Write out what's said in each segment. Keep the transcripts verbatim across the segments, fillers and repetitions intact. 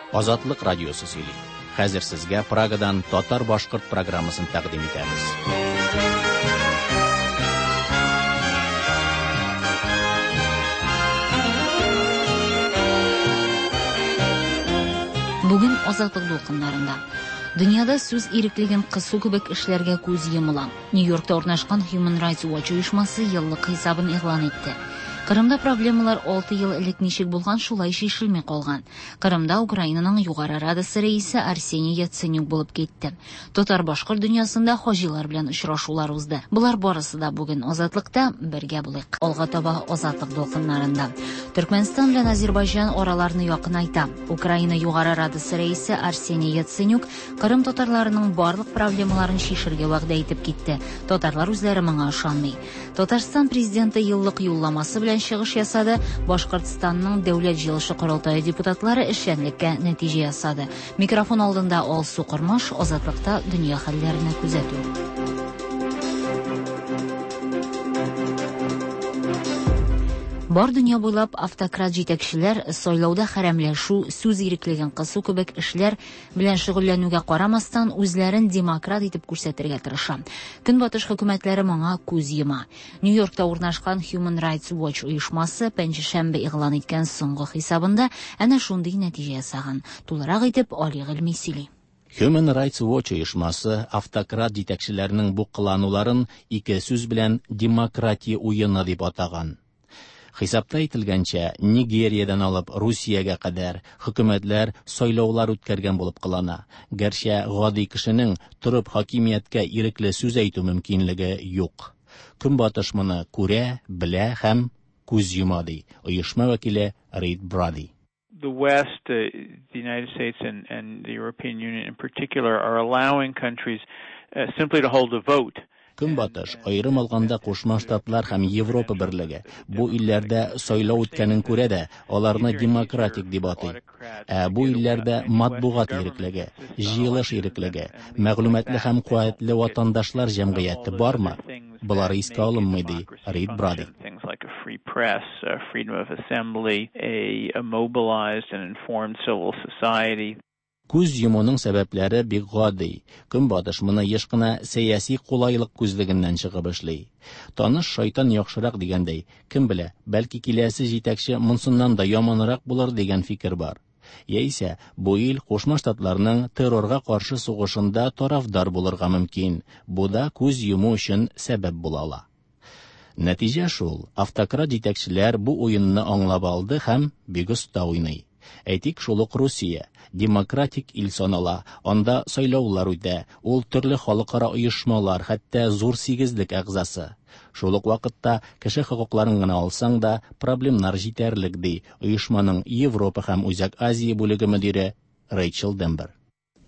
Азатлык радиосы сөйли. Хәзер сезгә Прагадан татар-башкорт программасын тәкъдим итәбез. Бүген Азатлык дулкыннарында дөньяда сүз иреклеген кысу кебек эшләргә күз йомыла. Нью-Йоркта урнашкан Human Rights Watch оешмасы еллык хисабын игълан итте. Кырымда проблемалар алты ел элек ничек булган, шулай чишелми калган. Кырымда Украинаның Югары Радасы рәисе Арсений Яценюк булып китте. Татар-башкорт дөньясында хаҗилар белән очрашулар узды. Болар барысы да бүген Азатлыкта, бергә булыйк. Алга таба Азатлык дулкыннарында. Төркмәнстан белән Азербайҗан араларны якынайта. Украина Югары Радасы рәисе Арсений Яценюк Кырым татарларының барлык проблемаларын чишергә вәгъдә итеп китте. Татарлар үзләре моңа ышанмый. Татарстан президенты еллык юлламасы белән чыгыш ясады. Башкортстанның Дәүләт җыелышы корылтае депутатлары эшчәнлеккә нәтиҗә ясады. Микрофон алдында Алсу Кормаш, Азатлыкта дөнья хәлләренә күзәтү. Бар дөнья буйлап автократ җитәкчеләр сайлауда хәрәмләшү, сүз иреклеген кысу кебек эшләр белән шөгыльләнүгә карамастан үзләрен демократ итеп күрсәтергә тырыша. Көнбатыш хөкүмәтләре моңа күз йома. Нью-Йоркта урнашкан Human Rights Watch оешмасы пәнҗешәмбе игълан иткән соңгы хисабында әнә шундый нәтиҗә ясаган. Тулырак итеп Али Гыйльми сөйли. Human Rights Watch оешмасы автократ җитәкчеләренең бу кылануларын ике сүз белән демократия уены дип атаган. Хисапта әйтелгәнчә, Нигериядән алып Русиягә кадәр хөкүмәтләр сайлаулар үткәргән булып кылана. Гәрчә гади кешенең торып хакимияткә ирекле сүз әйтү мөмкинлеге юк. Көнбатыш моны күрә, белә һәм күз йома, ди оешма вәкиле Рид Бради. The West, uh, the United States and, and the European Union in particular, are allowing countries uh, simply to hold a vote. Көнбатыш, аерым алганда Кушма Штатлар һәм Европа берлеге бу илләрдә сайлау үткәнен күрә дә, аларны демократик дип атый. Ә бу илләрдә матбугат иреклеге, җыелыш иреклеге, мәгълүматлы һәм куәтле ватандашлар җәмгыяте бармы? Болар искә алынмый, ди Рид Бради. Things like a free press, a freedom of assembly, a, a mobilized and informed civil society. Күз йомуның сәбәпләре бик гади. Көнбатыш моны еш кына сәяси кулайлык күзлегеннән чыгып эшли. Таныш шайтан яхшырак дигәндәй, кем белә, бәлки киләсе җитәкче монсыннан да яманрак булыр дигән фикер бар. Яисә бу ил Кушма Штатларның террорга каршы сугышында тарафдар булырга мөмкин. Бу да күз йому өчен сәбәп була ала. Нәтиҗә шул, автократ җитәкчеләр бу уенны аңлап алды һәм бик оста уйный. Әйтик, шул ук Русия демократик ил санала, анда сайлаулар үтә, ул төрле халыкара оешмалар, хәтта зур сигезлек әгъзасы. Шул ук вакытта кеше хокукларын гына алсаң да, проблемнар җитәрлек, ди оешманың Европа һәм Үзәк Азия бүлеге мөдире Рэйчел Дембер.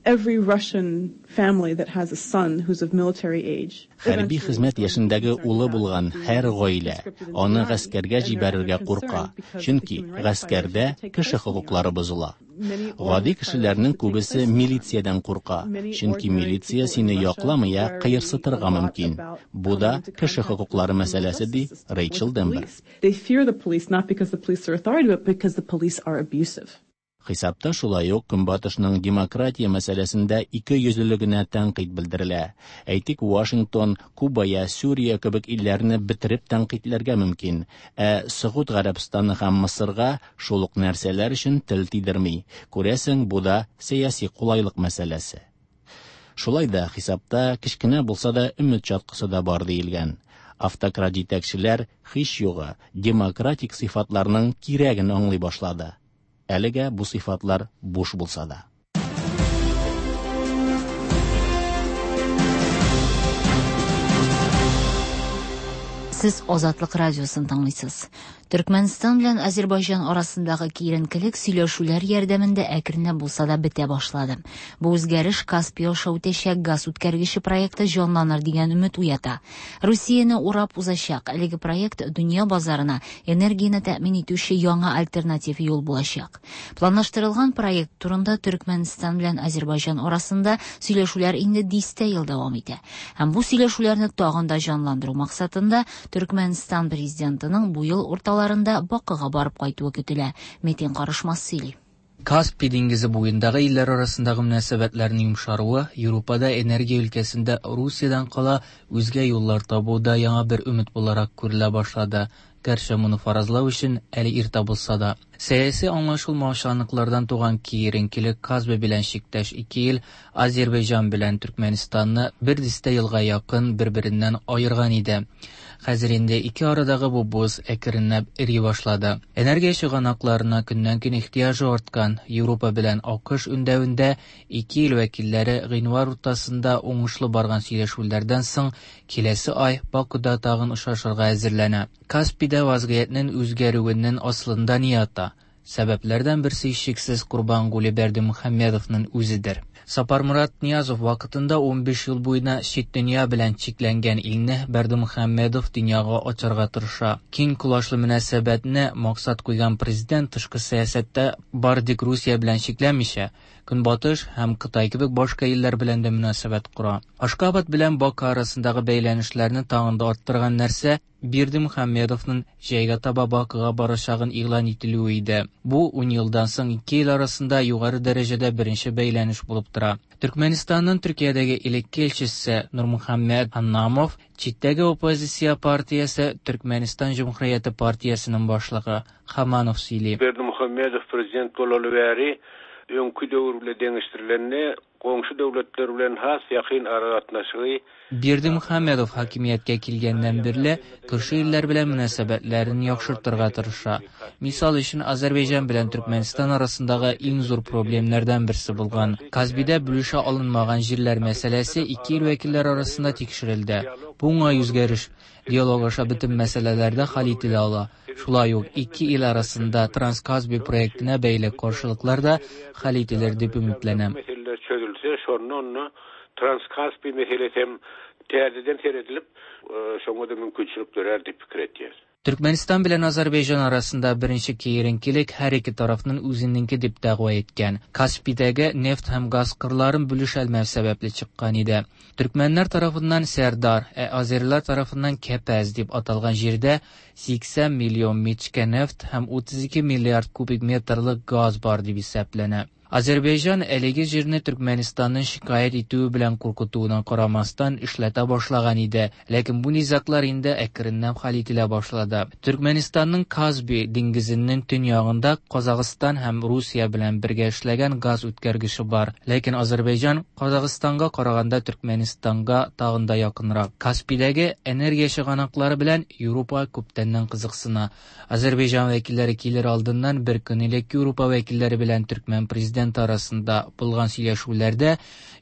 Every Russian family that has a son who's of military age. Хәрби хезмәт яшендәге улы булган һәр гаилә аны гаскәргә җибәрергә курка, чөнки гаскәрдә кеше хокуклары бозыла. Гади кешеләрнең күбесе милициядән курка, чөнки милиция сине якламый, ә кыерсытырга мөмкин. Бу да кеше хокуклары мәсьәләсе, ди Рэйчел Дембер. They fear the police not because the police are authority, but because the police are abusive. Хисапта шулай ук Көнбатышның демократия мәсьәләсендә ике йөзлелегенә тәнкыйть белдерелә. Әйтик, Вашингтон, Куба я Сүрия кебек илләрне бетереп тәнкыйтьләргә мөмкин, ә Согуд Гарәбстаны һәм Мысырга шул ук нәрсәләр өчен тел тидерми. Күрәсең, бу да сәяси кулайлык мәсьәләсе. Шулай да хисапта кечкенә булса да өмет чаткысы да бар диелгән. Автократ җитәкчеләр һич югы демократик сыйфатларның кирәген аңлый башлады. Әлегә бу сыйфатлар буш булса да. Сез Азатлык радиосын тыңлыйсыз. Төркмәнстан белән Азербайҗан арасындагы киеренкелек сөйләшүләр ярдәмендә әкренләп булса да бетә башлады. Бу үзгәреш Каспий аша үтәчәк газ үткәргече проекты җанланыр дигән өмет уята. Русияне урап узачак әлеге проект дөнья базарына энергияне тәэмин итүче яңа альтернатив юл булачак. Планлаштырылган проект турында Төркмәнстан белән Азербайҗан арасында сөйләшүләр инде дистә ел дәвам итә. Һәм бу сөйләшүләрне тагын да җанландыру максатында Төркмәнстан президентының бу ел урталарында Бакыга барып кайтуы көтелә. Метин Карышмас сөйли. Каспий диңгезе буендагы илләр арасындагы мөнәсәбәтләрнең йомшаруы Европада энергия өлкәсендә Русиядән кала үзгә юллар табуда яңа бер өмет буларак күрелә башлады. Гәрчә моны фаразлау өчен әле иртә булса да. Сәяси аңлашылмаучанлыклардан туган киеренкелек Каспий белән чиктәш ике ил Азербайҗан белән Төркмәнистанны бер дистә елга якын бер-береннән аерган иде. Хәзер инде ике арадагы бу боз әкренләп эри башлады. Энергия чыганакларына көннән-көн ихтыяҗы арткан Европа белән АКШ үндәвендә ике ил вәкилләре гыйнвар уртасында уңышлы барган сөйләшүләрдән соң киләсе ай Бакуда тагын очрашырга әзерләнә. Каспийда вазгыятьнең үзгәрүенең асылында ни ята? Сәбәпләрдән берсе һичшиксез Курбангулы Бердымухамедовның үзедер. Сапармурат Ниязов вакытында унбиш ел буена чит дөнья белән чикләнгән илне Бердымухамедов дөньяга ачарга тырыша. Киң колачлы мөнәсәбәтне максат куйган президент тышкы сәясәттә бары тик Русия белән чикләнмичә, Көнбатыш һәм Кытай кебек башка илләр белән дә мөнәсәбәт кора. Ашкабад белән Баку арасындагы бәйләнешләрне тагын да арттырган нәрсә Бердымухамедовның җәйгә таба Бакуга барачагын игълан ителүе иде. Бу ун елдан соң ике ил арасында югары дәрәҗәдә беренче бәйләнеш булып тора. Төркмәнистанның Төркиядәге элекке илчесе Нурмухаммед Аннамов, читтәге оппозиция партиясе Төркмәнистан Җөмһүрияте партиясенең башлыгы Хаманов сөйли. Бердымухамедов президент болалы бәри öňkü döwür bilen deňeşdirilende goňşy döwletler bilen has ýakyn aragatnaşygy Бердымухамедов хакимияткә килгәннән бирле күрше илләр белән мөнәсәбәтләрен яхшыртырга тырыша. Мисал өчен, Азербайҗан белән Төркмәнстан арасындагы иң зур проблемнардан берсе булган Казбидә бүлешә алынмаган җирләр мәсьәләсе ике ил вәкилләре арасында тикшерелде. Бу уңай үзгәреш. Диалог аша бөтен мәсьәләләр дә хәл ителә ала. Шулай ук ике ил арасында Транскаспий проектына бәйле каршылыклар да хәл ителер дип өметләнәм. Meseleler çözülse, şonda onda Transkaspi meselesi hem täzeden seredilip, şoňa da mümkinçilik dörer diýip pikir etýär. Türkmenistan bilen Azerbaycan arasında birinci kiyerinkilik her iki tarafının үзенеңке дип дәгъва иткән Каспийдәге нефть һәм газ кырларын бүлешәлмәү сәбәпле чыккан иде. Төркмәннәр тарафыннан Сәрдар, ә азерлар тарафыннан Кәпәз дип аталган җирдә сиксән миллион мичкә нефть һәм утыз ике миллиард кубик метрлык газ бар дип исәпләнә. Азербайҗан әлеге җирне Төркмәнистанның шикаять итүе белән куркытуына карамастан эшләтә башлаган иде. Ләкин бу низаглар инде әкренләп хәл ителә башлады. Төркмәнистанның Казби диңгезенең төньягында Казахстан һәм Русия белән бергә эшләгән газ үткәргече бар. Ләкин Азербайҗан Казахстанга караганда Төркмәнистанга тагын да якынрак. Каспийдәге энергия чыганаклары белән Европа күптәннән кызыксына. Азербайҗан вәкилләре килер алдыннан бер көн элек Европа вәкилләре белән төркмән президенты арасында булган сөйләшүләрдә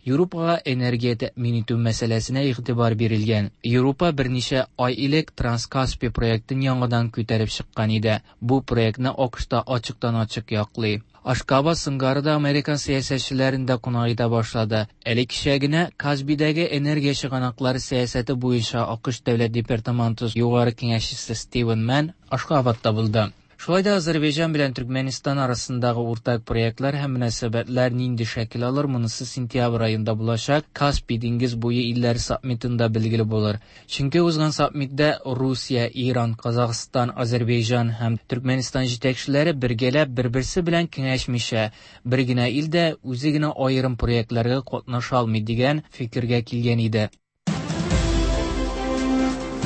Европага энергия тәэмин итү мәсьәләсенә игътибар бирелгән. Европа берничә ай элек Транскаспий проектын яңадан күтәреп чыккан иде. Бу проектны АКШта ачыктан-ачык яклый. Ашкабад сыңгары да Американ сәясәтчеләрен дә кунак итә башлады. Әле кичә генә Казбидәге энергия чыганаклары сәясәте буенча АКШ Дәүләт департаменты югары киңәшчесе Стивен Мэн Ашкабадта булды. Шулай да Азербайҗан белән Төркмәнистан арасындагы уртак проектлар һәм мөнәсәбәтләр нинди шәкел алыр, монысы сентябрь аенда булачак Каспий диңгез буе илләре саммитында билгеле булыр. Чөнки узган саммитта Русия, Иран, Казахстан, Азербайҗан һәм Төркмәнистан җитәкчеләре бергәләп бер-берсе белән киңәшмичә, бер генә ил дә үзе генә аерым проектларга катнаша алмый дигән фикергә килгән иде.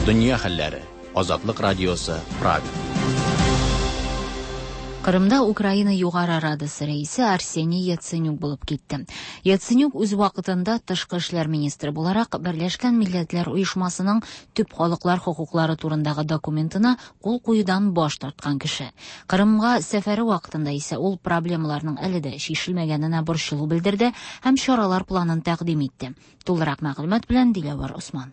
Дөнья хәлләре. Азатлык радиосы, Прага. Кырымда Украина Югары Радасы рәисе Арсений Яценюк булып китте. Яценюк үз вакытында тышкы эшләр министры буларак Берләшкән Милләтләр Оешмасының төп халыклар хокуклары турындагы документына кул куюдан баш тарткан кеше. Кырымга сәфәре вакытында исә ул проблемаларның әле дә чишелмәгәненә борчылу белдерде һәм чаралар планын тәкъдим итте. Тулырак мәгълүмат белән Диләвәр Осман.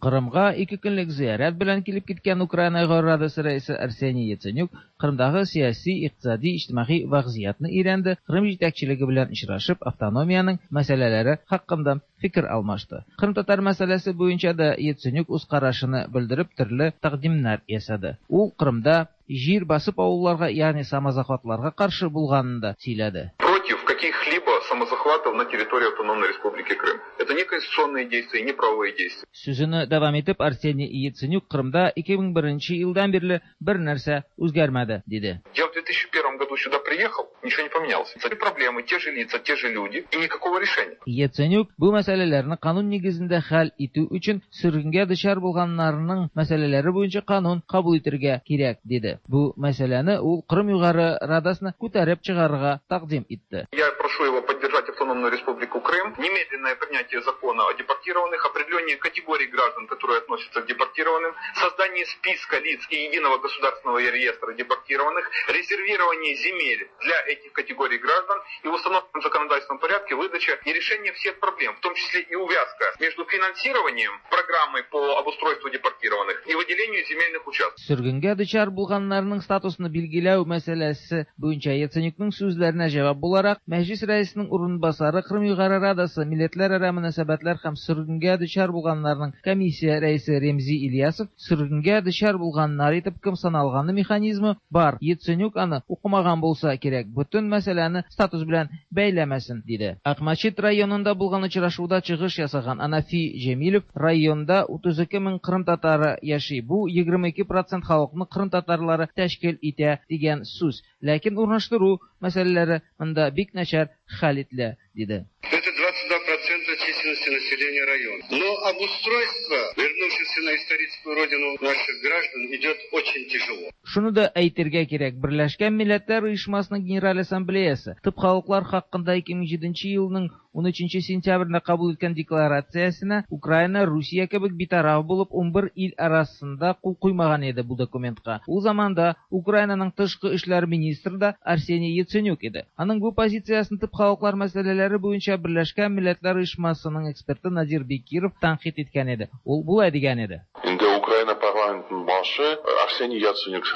Кырымга ике көнлек зиярәт белән килеп киткән Украина Югары Радасы рәисе Арсений Яценюк Кырымдагы сәяси, икътисади, иҗтимагый вазгыятьне өйрәнде, Кырым җитәкчелеге белән очрашып, автономиянең мәсьәләләре хакында фикер алмашты. Кырым татар мәсьәләсе буенча да Яценюк үз карашын белдереп, төрле тәкъдимнәр ясады. Ул Кырымда җир басып авылларга, ягъни самозахватларга каршы булганын да сөйләде. Против каких-либо каких-либо самозахватов на территории Автономной Республики Крым. Это не конституционные действия, не правовые действия. Сүзен дәвам итеп Арсений Яценюк Кырымда ике мең беренче елдан бирле бер нәрсә үзгәрмәде, диде. Я в две тысячи первом году сюда приехал, ничего не поменялось. Те проблемы, те же лица, те же люди и никакого решения. Яценюк бу мәсьәләләрне канун нигезендә хәл итү өчен сөргенгә дучар булганнарның мәсьәләләре буенча канун кабул итәргә кирәк, диде. Бу мәсьәләне ул Кырым Югары Радасына күтәреп чыгарырга тәкъдим итте. Я прошу его поддержать Автономную Республику Крым, немедленное принятие закона о депортированных, определение категорий граждан, которые относятся к депортированным, создание списка лиц и единого государственного реестра депортированных, резервирование земель для этих категорий граждан и в установленном законодательном порядке выдача и решение всех проблем, в том числе и увязка между финансированием программы по обустройству депортированных и выделению земельных участков. Сөргенгә дучар булганнарның статусын билгеләү мәсьәләсе буенча Яценюкның сүзләренә җавап буларак, Мәҗлис рәисенең урынбасары Кырым Югары Радасы милләтләрара мөнәсәбәтләр һәм сөргенгә дучар булганнарның комиссия рәисе Ремзи Ильясов сөргенгә дучар булганнар итеп кем саналганы механизмы бар. Яценюк аны укымаган булса кирәк, бөтен мәсьәләне статус белән бәйләмәсен, диде. Акмәчет районында булган очрашуда чыгыш ясаган Анафи Җәмилев районда утыз ике мең кырым татары яши. Бу егерме ике процент халыкны кырым татарлары тәшкил итә дигән сүз. Ләкин урнаштыру мәсьәләләре монда бик начар хәл ителә, диде. Это двадцать два процента численности населения района. Но обустройство вернувшихся на историческую родину наших граждан идет очень тяжело. Шуны да әйтергә кирәк, Берләшкән Милләтләр Оешмасының Генераль Ассамблеясы төп халыклар хакында ике мең җиденче елның ун өченче сентябрендә кабул иткән декларациясенә Украина, Русия кебек битараф булып ун бер ил арасында кул куймаган иде бу документка. Ул заманда Украинаның тышкы эшләр министры да Арсений Яценюк иде. Аның бу позициясын төп халыклар мәсьәләләре буенча Берләшкән Милләтләр Оешмасының эксперты Надир Бекиров тәнкыйть иткән иде. Ул болай дигән иде. Инде Украина парламентының башы Арсений Яценюк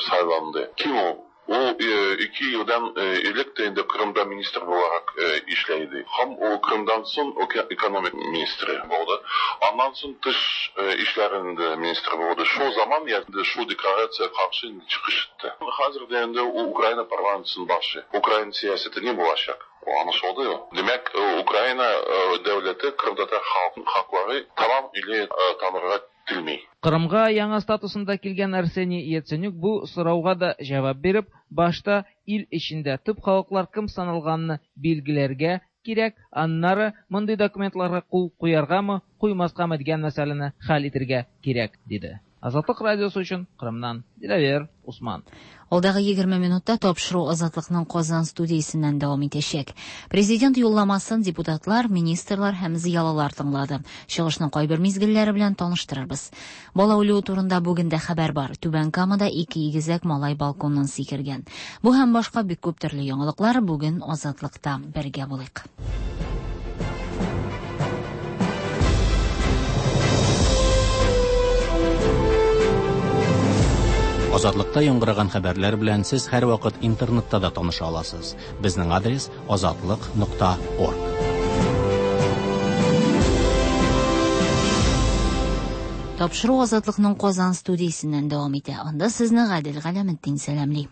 сайланды. Ким ул? Ул ике елдан элек тә инде Кырымда министр буларак эшләйде. Һәм ул Кырымдан соң экономик министры булды. Аннан соң тыш эшләрендә министр булды. Шул заман инде шул декларация каршы инде чыгыш итте. Хәзер дә инде ул Украина парламентының башы. Украина сәясәте ни булачак? Аңлашылды. Димәк, Украина дәүләте Кырымтатар халкын хаклары тамам или танырга телми. Кырымга яңа статусында килгән Арсений Яценюк бу сорауга да җавап биреп, башта ил эчендә төп халыклар кем саналганны билгеләргә кирәк, аннары мондый документларга кул куяргамы, куймаскамы дигән мәсьәләне хәл итәргә кирәк, диде. Азатлык радиосы өчен Кырымнан Диләвер Усман. Алдагы егерме минутта тапшыру Азатлыкның Казан студиясеннән дәвам итәчәк. Президент юлламасын депутатлар, министрлар һәм зыялылар тыңлады. Чыгышның кайбер мизгелләре белән таныштырырбыз. Бала үлүе турында бүген дә хәбәр бар. Түбән Камада ике игезәк малай балконнан сикергән. Бу һәм башка бик күп төрле яңалыклар бүген Азатлыкта. Бергә булыйк. Азатлыкта яңгыраган хәбәрләр белән сез һәрвакыт интернетта да таныша аласыз. Безнең адрес азатлык нокта орг. Тапшыру Азатлыкның Казан студиясеннән дәвам итә. Анда сезне Гадел Галәметдин сәламли.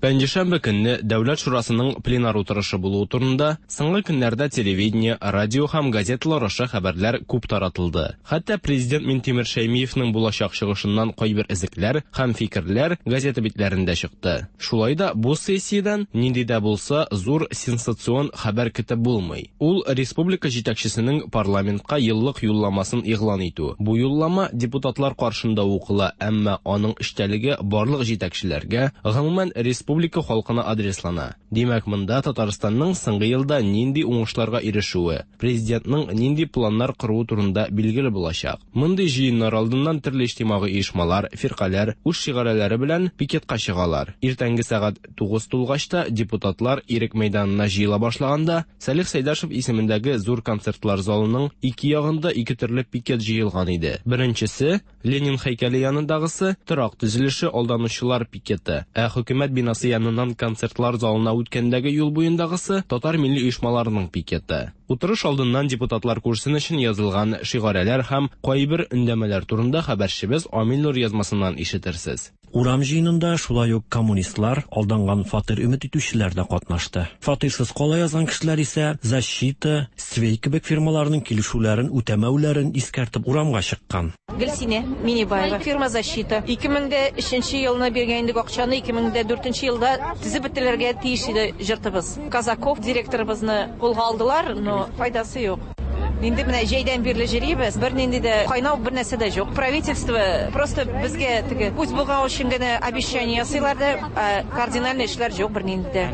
Пәнҗешәмбе көнне Дәүләт Шурасының пленар утырышы булуы турында соңгы көннәрдә телевидение, радио һәм газеталар аша хәбәрләр күп таратылды. Хәтта президент Минтимер Шәймиевның булачак чыгышыннан кайбер эзлекләр һәм фикерләр газета битләрендә чыкты. Шулай да бу сессиядән нинди дә булса зур сенсацион хәбәр көтеп булмый. Ул республика җитәкчесенең парламентка еллык юлламасын игълан итү. Бу юллама депутатлар каршында укыла, әмма аның эчтәлеге барлык җитәкчеләргә, гомумән республика Республика халкына адреслана. Димәк, монда Татарстанның соңгы елда нинди уңышларга ирешүе, президентның нинди планнар коруы турында билгеле булачак. Мондый җыеннар алдыннан төрле иҗтимагый оешмалар, фиркаләр үз шигарәләре белән пикетка чыгалар. Иртәнге сәгать тугыз тулгач та депутатлар Ирек мәйданына җыела башлаганда, Салих Сәйдашев исемендәге зур концертлар залының ике ягында ике төрле пикет җыелган иде. Беренчесе Ленин һәйкәле янындагысы торак төзелеше алданучылар пикеты, ә хөкүмәт бинасы яныннан концертлар залына үткәндәге юл буендагысы татар милли оешмаларының пикеты. Утырыш алдыннан депутатлар күрсен өчен язылган шигарәләр һәм кайбер өндәмәләр турында хәбәрчебез Амил Нур язмасыннан ишетерсез. Урам җыенында шулай ук коммунистлар, алданган фатир өмет итүчеләр дә катнашты. Фатирсыз кала язган кешеләр исә «Защита», «Свей» кебек фирмаларның килешүләрен үтәмәүләрен искәртеп урамга чыккан. Гөлсинә Минибаева, фирма «Защита». ике мең дә өченче елны биргән идек акчаны, ике мең дә дүртенче елда төзеп бетерергә тиеш иде йортыбыз. Казаков директорыбызны кулга алдылар, но файдасы юк. Инде менә җәйдән бирле йөрибез, бернинди дә кайнау бер нәрсә дә юк. Правительство просто безгә теге үз булган өчен генә обещание ясыйлар да, кардинальный эшләр юк бернинди дә.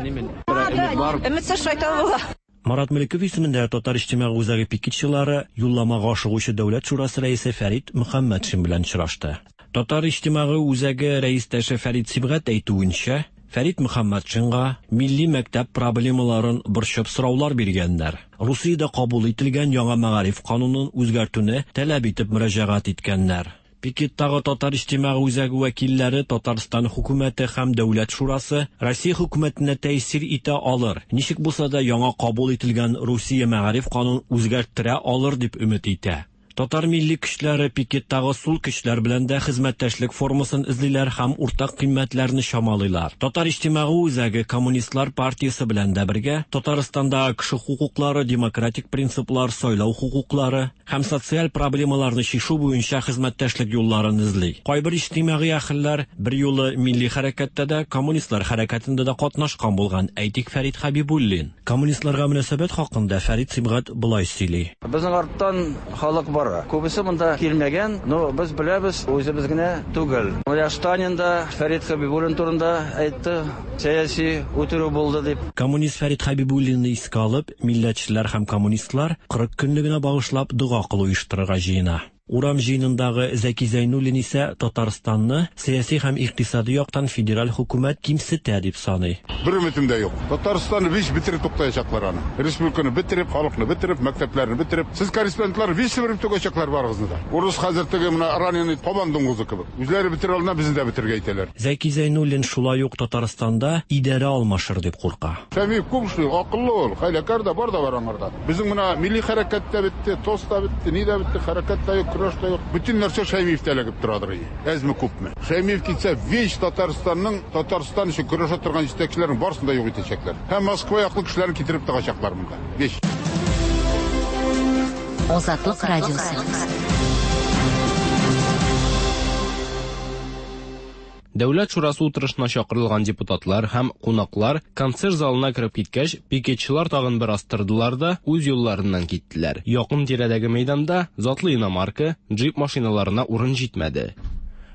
Өметсез шайтан була. Марат Мөлеков исемендә Татар иҗтимагый үзәге пикетчылары юлламага ашыгучы Дәүләт шурасы рәисе Фәрит Мөхәммәтшин белән очрашты. Татар иҗтимагый үзәге рәистәше Фәрит Сибгат әйтүенчә, Фәрит Мөхәммәтшинга милли мәктәп проблемаларын борчып сораулар биргәннәр. Русиядә кабул ителгән яңа мәгариф канунын үзгәртүне таләп итеп мөрәҗәгать иткәннәр. Пикеттагы Татар иҗтимагый үзәге вәкилләре Татарстан хөкүмәте һәм Дәүләт шурасы Россия хөкүмәтенә тәэсир итә алыр, ничек булса да яңа кабул ителгән Русия мәгариф канунын үзгәрттерә алыр дип өмет итә. Татар милли көчләре пикеттагы сул көчләр белән дә хезмәттәшлек формасын эзлиләр һәм уртак кыйммәтләрне чамалыйлар. Татар иҗтимагый үзәге Коммунистлар партиясе белән дә бергә Татарстанда кеше хокуклары, демократик принциплар, сайлау хокуклары һәм социаль проблемаларны чишү буенча хезмәттәшлек юлларын эзли. Кайбер иҗтимагый әһелләр бер юлы милли хәрәкәттә дә, коммунистлар хәрәкәтендә дә катнашкан булган. Әйтик, Фәрит Хәбибуллин. Коммунистларга мөнәсәбәт хакында Фәрит Сибгат болай сөйли. Безнең арттан халык бар. Күбесе монда килмәгән, но без беләбез, үзебез генә түгел. Менә Сталин да Фәрит Хәбибуллин турында әйтте, сәяси үтерү булды дип. Коммунист Фәрит Хәбибуллинны искә алып, милләтчеләр һәм коммунистлар кырык көнлегенә багышлап дога кылу оештырырга җыена. Урам җыенындагы Зәки Зәйнуллин исә Татарстанны сәяси һәм икътисади яктан федераль хөкүмәт кимсетә дип саный. Бер өметем дә юк. Татарстанны биш бетереп туктаячаклар аны. Республиканы бетереп, халыкны бетереп, мәктәпләрне бетереп. Сез корреспондентлар биш бетереп туктаячаклар барыгызны да. Урыс хәзер теге менә раненый кабан дуңгызы кебек. Үзләре бетерә алмый, безне дә бетерергә әйтәләр. Зәки Зәйнуллин шулай ук Татарстанда идарә алмашыр дип курка. Шәмиев күп эшли, акыллы ул, хәйләкәр дә бар да бар аңарда. Безнең менә милли хәрәкәт тә бетте, ТОС та бетте, ни дә бетте, хәрәкәт тә юк. Бүтән нәрсә Шәймиевтә эләгеп торадыр. Әзме күпме. Шәймиев китсә, весь Татарстанның Татарстан өчен көрәшә торган җитәкчеләрнең барысын да юк итәчәкләр. Һәм Москва яклы кешеләрне китереп тыгачаклар монда. Весь. Азатлык радиосы. Дәүләт шурасы утырышына чакырылган депутатлар һәм кунаклар концерт залына кереп киткәч, пикетчылар тагын бер астырдылар да үз юлларыннан киттеләр. Якын тирәдәге мәйданда затлы иномарка, джип машиналарына урын җитмәде.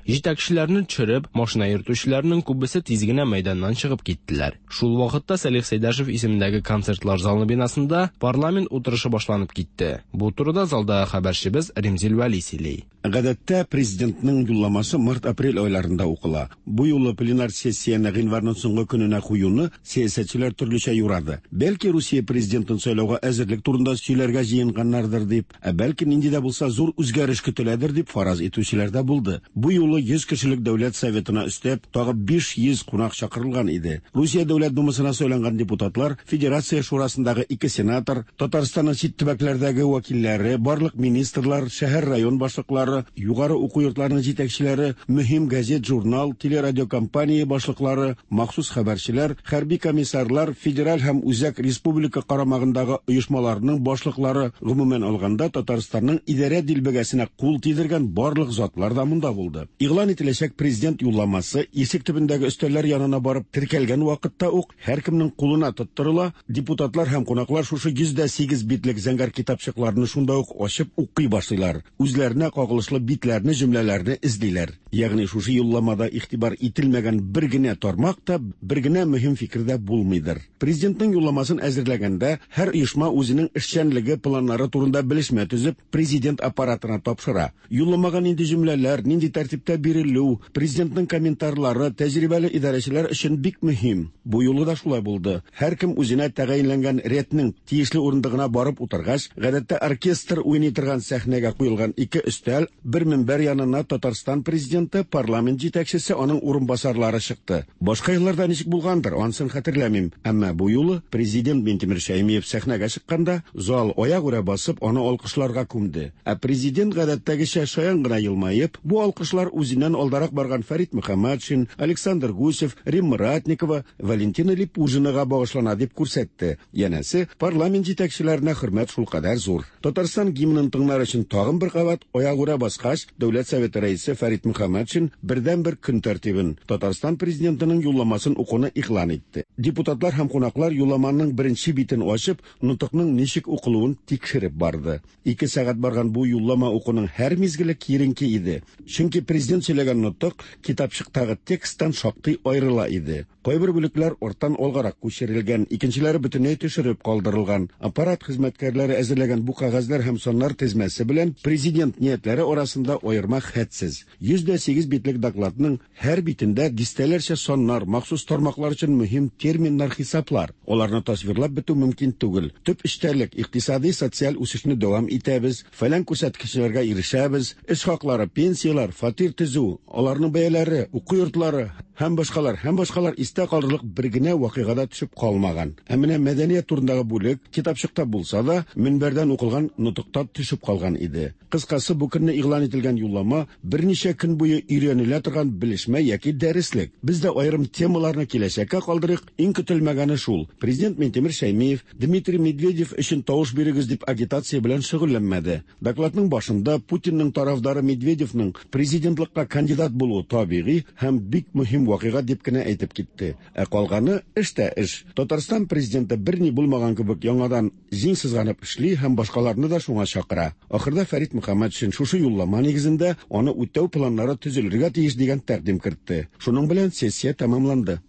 Җитәкчеләрне төшереп, машина йөртүчеләрнең күбесе тиз генә мәйданнан чыгып киттеләр. Шул вакытта Сәлих Сәйдәшев исемендәге концертлар залы бинасында парламент утырышы башланып китте. Бу турыда залдагы хәбәрчебез Римзил Вәли сөйли. Гадәттә президентның юлламасы март-апрель айларында укыла. Бу юлы пленар сессияне гыйнварның соңгы көненә куюны сәясәтчеләр төрлечә юрады. Бәлки Русия президентын сайлауга әзерлек турында сөйләргә җыенганнардыр дип, ә бәлки нинди дә булса зур үзгәреш көтеләдер дип фараз итүчеләр дә булды. Бу юлы йөз кешелек Дәүләт Советына өстәп, тагы биш йөз кунак чакырылган иде. Русия Дәүләт Думасына сайланган депутатлар, Федерация Шурасындагы ике сенатор, Татарстанның чит төбәкләрдәге вәкилләре, барлык министрлар, шәһәр-район башлыклары, югары уку йортларының җитәкчеләре, мөһим газет, журнал, телерадиокомпания башлыклары, махсус хәбәрчеләр, хәрби комиссарлар, федераль һәм үзәк республика карамагындагы оешмаларның башлыклары, гомумән алганда Татарстанның идарә дилбегәсенә кул тидергән барлык затлар да монда булды. Игълан ителәчәк президент юлламасы ишек төбендәге өстәлләр янына барып теркәлгән вакытта ук һәркемнең кулына тоттырыла. Депутатлар һәм кунаклар шушы йөз дә сигез битлек зәңгәр китапчыкларны шунда ук ачып укый башлыйлар. Үзләренә кагылышлы битләрне, җөмләләрне эзлиләр. Ягъни шушы юлламада игътибар ителмәгән бер генә тармак та, бер генә мөһим фикер дә булмыйдыр. Президентның юлламасын әзерләгәндә һәр оешма үзенең эшчәнлеге планнары турында белешмә төзеп, президент аппаратына тапшыра. Юлламага нинди җөмләләр, нинди тәртиптә бирелү, президентның комментарлары тәҗрибәле идарәчеләр өчен бик мөһим. Бу юлы да шулай булды. Һәркем үзенә тәгаенләнгән рәтнең тиешле урындыгына барып утыргач, гадәттә оркестр уйный торган сәхнәгә куелган ике өстәл, бер минбәр янына Татарстан президенты, парламент җитәкчесе, аның урынбасарлары чыкты. Башка елларда ничек булгандыр, анысын хәтерләмим. Әмма бу юлы президент Минтимер Шәймиев сәхнәгә чыкканда, зал аягүрә басып, аны алкышларга күмде. Ә президент гадәттәгечә шаян гына елмаеп, бу алкышлар үзеннән алдарак барган Фәрит Мөхәммәтшин, Александр Гусев, Римма Ратникова, Валентина Липужинага багышлана дип күрсәтте. Янәсе, парламент җитәкчеләренә хөрмәт шулкадәр зур. Татарстан гимнын тыңлар өчен тагын бер кабат аягүрә баскач, Дәүләт Советы рәисе Фәрит Мөхәммәтшин бердәнбер көн тәртибен, Татарстан президентының юлламасын укуны игълан итте. Депутатлар һәм кунаклар юлламаның беренче битен ачып, нотыкның ничек укылуын тикшереп барды. Ике сәгать барган бу юллама укуның һәр мизгеле киеренке иде. Чөнки президент сөйләгән нотык китапчыктагы тексттан шактый аерыла иде. Кайбер бүлекләр арттан алгарак күчерелгән, икенчеләре бөтенләй төшереп калдырылган. Аппарат хезмәткәрләре әзерләгән бу кәгазьләр һәм саннар тезмәсе белән президент ниятләре арасында аерма хәтсез. йөз дә сигез битлек докладның һәр битендә дистәләрчә саннар, махсус тармаклар өчен мөһим терминнар, хисаплар. Аларны тасвирлап бетү мөмкин түгел. Төп эчтәлек икътисади, социаль үсешне дәвам итәбез, фәлән күрсәткечләргә ирешәбез, эш хаклары, пенсияләр, фатир төзү, аларның бәяләре, уку йортлары һәм башкалар, һәм башкалар истә калырлык бер генә вакыйгада төшеп калмаган. Ә менә мәдәният турындагы бүлек китапчыкта булса да, мөнбәрдән укылган нотыкта төшеп калган иде. Кыскасы, бу көнне игълан ителгән юллама берничә көн буе өйрәнелә торган белешмә яки дәреслек. Без дә аерым темаларны киләчәккә калдырыйк. Иң көтелмәгәне шул: президент Минтимер Шәймиев Дмитрий Медведев өчен тавыш бирегез дип агитация белән шөгыльләнмәде. Докладның башында Путинның тарафдары Медведевның президентлыкка кандидат булуы табигый һәм бик мөһим вакыйга дип кенә әйтеп китте. Ә калганы эш тә эш. Татарстан президенты берни булмаган кебек яңадан җиң сызганып эшли һәм башкаларны да шуңа чакыра. Ахырда Фәрит Мөхәммәтшин шушы юллама нигезендә аны үтәү планнары төзелергә тиеш дигән тәкъдим кертте. Шуның белән сессия тәмамланды.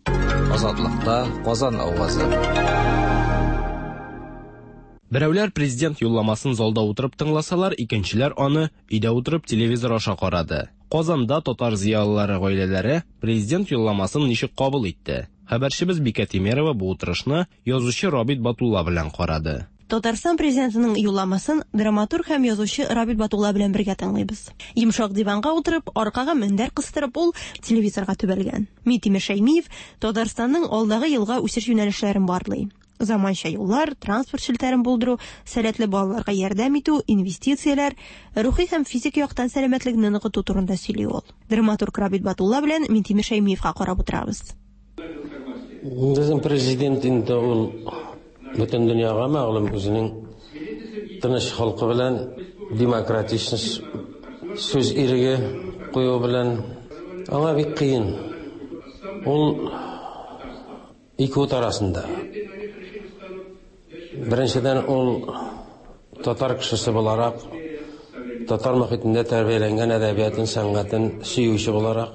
Азатлыкта Казан авазы. Берәүләр президент юлламасын залда утырып тыңласалар, икенчеләр аны өйдә утырып телевизор аша карады. Казанда татар зыялылары гаиләләре президент юлламасын ничек кабул итте? Хәбәрчебез Бикә Тимерова бу утырышны язучы Рабит Батулла белән карады. Татарстан президентының юлламасын драматург һәм язучы Рабит Батулла белән бергә тыңлыйбыз. Йомшак диванга утырып, аркага мендәр кыстырып, ул телевизорга төбәлгән. Минтимер Шәймиев Татарстанның алдагы елга үсеш юнәлешләрен барлый. Заманча юллар, транспорт челтәрен булдыру, сәләтле балаларга ярдәм итү, инвестицияләр, рухи һәм физик яктан сәламәтлекне ныгыту турында сөйли ул. Драматург Рабит Батулла белән Минтимер Шәймиевка карап утырабыз. Безнең президент инде ул бөтен дөньяга мәгълүм үзенең тыныч халкы белән, демократичность сүз иреге кую белән аңа бик кыен. Ул ике ут арасында. Беренчедән, ул татар кешесе буларак, татар мохитендә тәрбияләнгән әдәбиятын, сәнгатен сөюче буларак,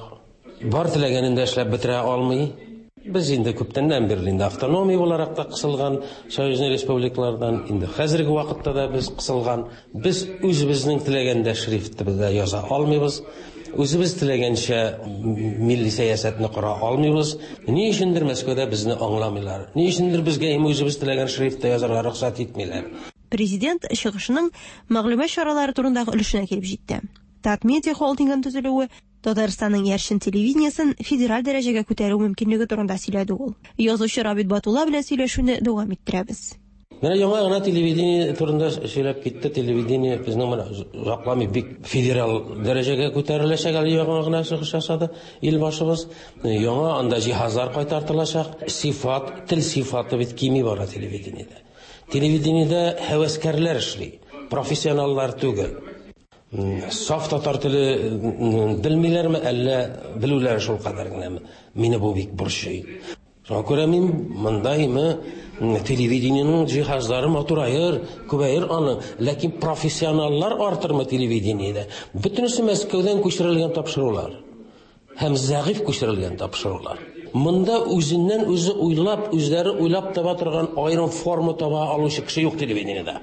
бар теләгәнен дә эшләп бетерә алмый. Без инде күптәннән бирле инде автономия буларак та кысылган союзный республикалардан, инде хәзерге вакытта да без кысылган. Без үзебезнең теләгәндә шрифтыбызда яза алмыйбыз. Үзебез теләгәнчә милли сәясәтне кора алмыйбыз. Ни өчендер Мәскәүдә безне аңламыйлар. Ни өчендер безгә үзебез теләгән шрифтта язарга рөхсәт итмиләр. Президент чыгышының мәгълүмат чаралары турындагы өлешенә килеп җитте. Татмедиа холдингын төзелүе Татарстанның яршын телевидениесен федераль дәрәҗәгә күтәрү мөмкинлеге турында сөйләде ул. Язучы Рабит Батулла белән сөйләшүне дәвам иттерәбез. Менә яңа гына телевидение турында сөйләп китте. Телевидение безнең менә озакламый бик федераль дәрәҗәгә күтәреләчәк, әле яңа гына чыгыш ясады ил башыбыз. Яңа анда җиһазлар кайтартылачак. Сифат, тел сифаты бит кими бара телевидениедә. Телевидениедә һәвәскәрләр эшли, профессионаллар түгел. Саф татар теле белмиләрме, әллә белүләре шул кадәр генәме? Мине бу бик борчый. Шуңа күрә мин мондаймы телевидениенең җиһазлары матураер, күбәер аны, ләкин профессионаллар артырмы телевидениедә? Бөтенесе Мәскәүдән күчерелгән тапшырулар һәм зәгыйфь күчерелгән тапшырулар. Монда үзеннән үзе уйлап, үзләре уйлап таба торган аерым форма таба алучы кеше юк телевидениедә.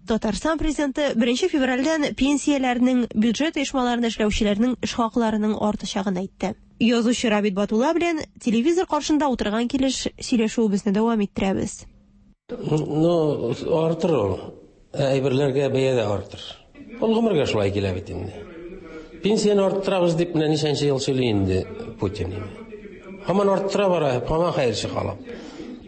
Татарстан президенты беренче февральдән пенсияләрнең, бюджет оешмаларында эшләүчеләрнең эш хакларының артачагын әйтте. Язучы Рабит Батулла белән телевизор каршында утырган килеш сөйләшүебезне дәвам иттерәбез. Ну, артыр ул. Әйберләргә бәя дә артыр. Ул гомергә шулай килә бит инде. Пенсияне арттырабыз дип менә ничәнче ел сөйли инде Путин. Һаман арттыра бара, һаман хәерче калып.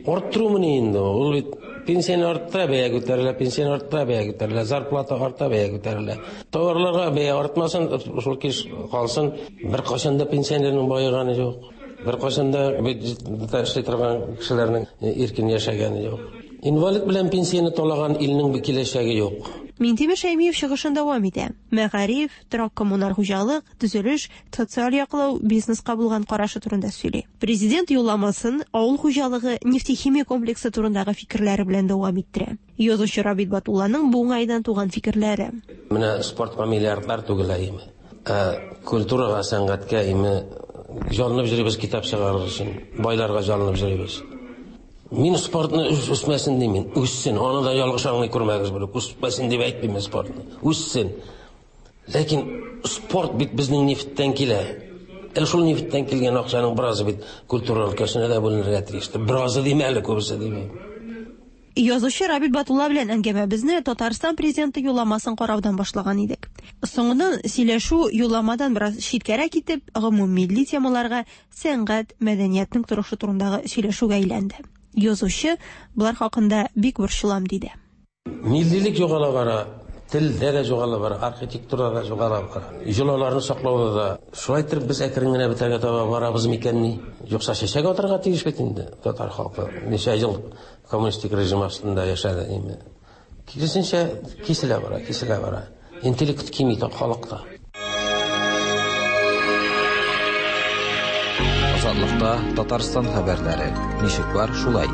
Арттыру мени инде ул бит Пенсияне арттыра, бәя күтәрелә, пенсияне арттыра, бәя күтәрелә, зарплата арта, бәя күтәрелә. Товарларга бәя артмасын, шул килеш калсын. Беркайчан да пенсионерның баеганы юк. Беркайчан да бюджетта эшли торган кешеләрнең иркен яшәгәне юк. Инвалид белән пенсияне талаган илнең киләчәге юк. Минтимер Шәймиев чыгышын дәвам итә. Мәгариф, торак-коммуналь хуҗалык, төзелеш, социаль яклау, бизнеска булган карашы турында сөйли. Президент юлламасын авыл хуҗалыгы, нефтехимия комплексы турындагы фикерләре белән дәвам иттерә. Язучы Рабит Батулланың бу уңайдан туган фикерләре. Менә спортка миллиардлар түгелә име. Ә культурага, сәнгатькә име җанланып йөрибез китап чыгарыр өчен, байларга җанланып йөрибез. Мин спортны үсмәсен димин, үссен. Аны да ялгыш аңлый күрмәгез булып, үсмәсен дип әйтмим спортны. Үссен. Ләкин спорт бит безнең нефтьтән килә. Ә шул нефтьтән килгән акчаның беразы бит культура өлкәсенә дә бүленергә тиеш. Беразы димә әле, күбесе димә. Язучы Рабит Батулла белән әңгәмәбезне Татарстан президенты юлламасын караудан башлаган идек. Соңыннан сөйләшү юлламадан бераз читкәрәк китеп, гомуммилли темаларга, сәнгать, мәдәниятнең торышы турындагы сөйләшүгә әйләнде. Язучы булар хакында бик борчылам диде. Миллилек югала бара, телдә дә югала бара, архитектурада да югала бара. Йолаларны саклауда да. Шулай итеп без әкрен генә бетәргә таба барабыз микәнни? Юкса чәчәк атарга тиеш бит инде татар халкы. Ничә ел коммунистик режим астында яшәде инде. Киресенчә киселә бара, киселә бара. Интеллект кими халыкта. Азатлыкта Татарстан хәбәрләре. Ничек бар, шулай.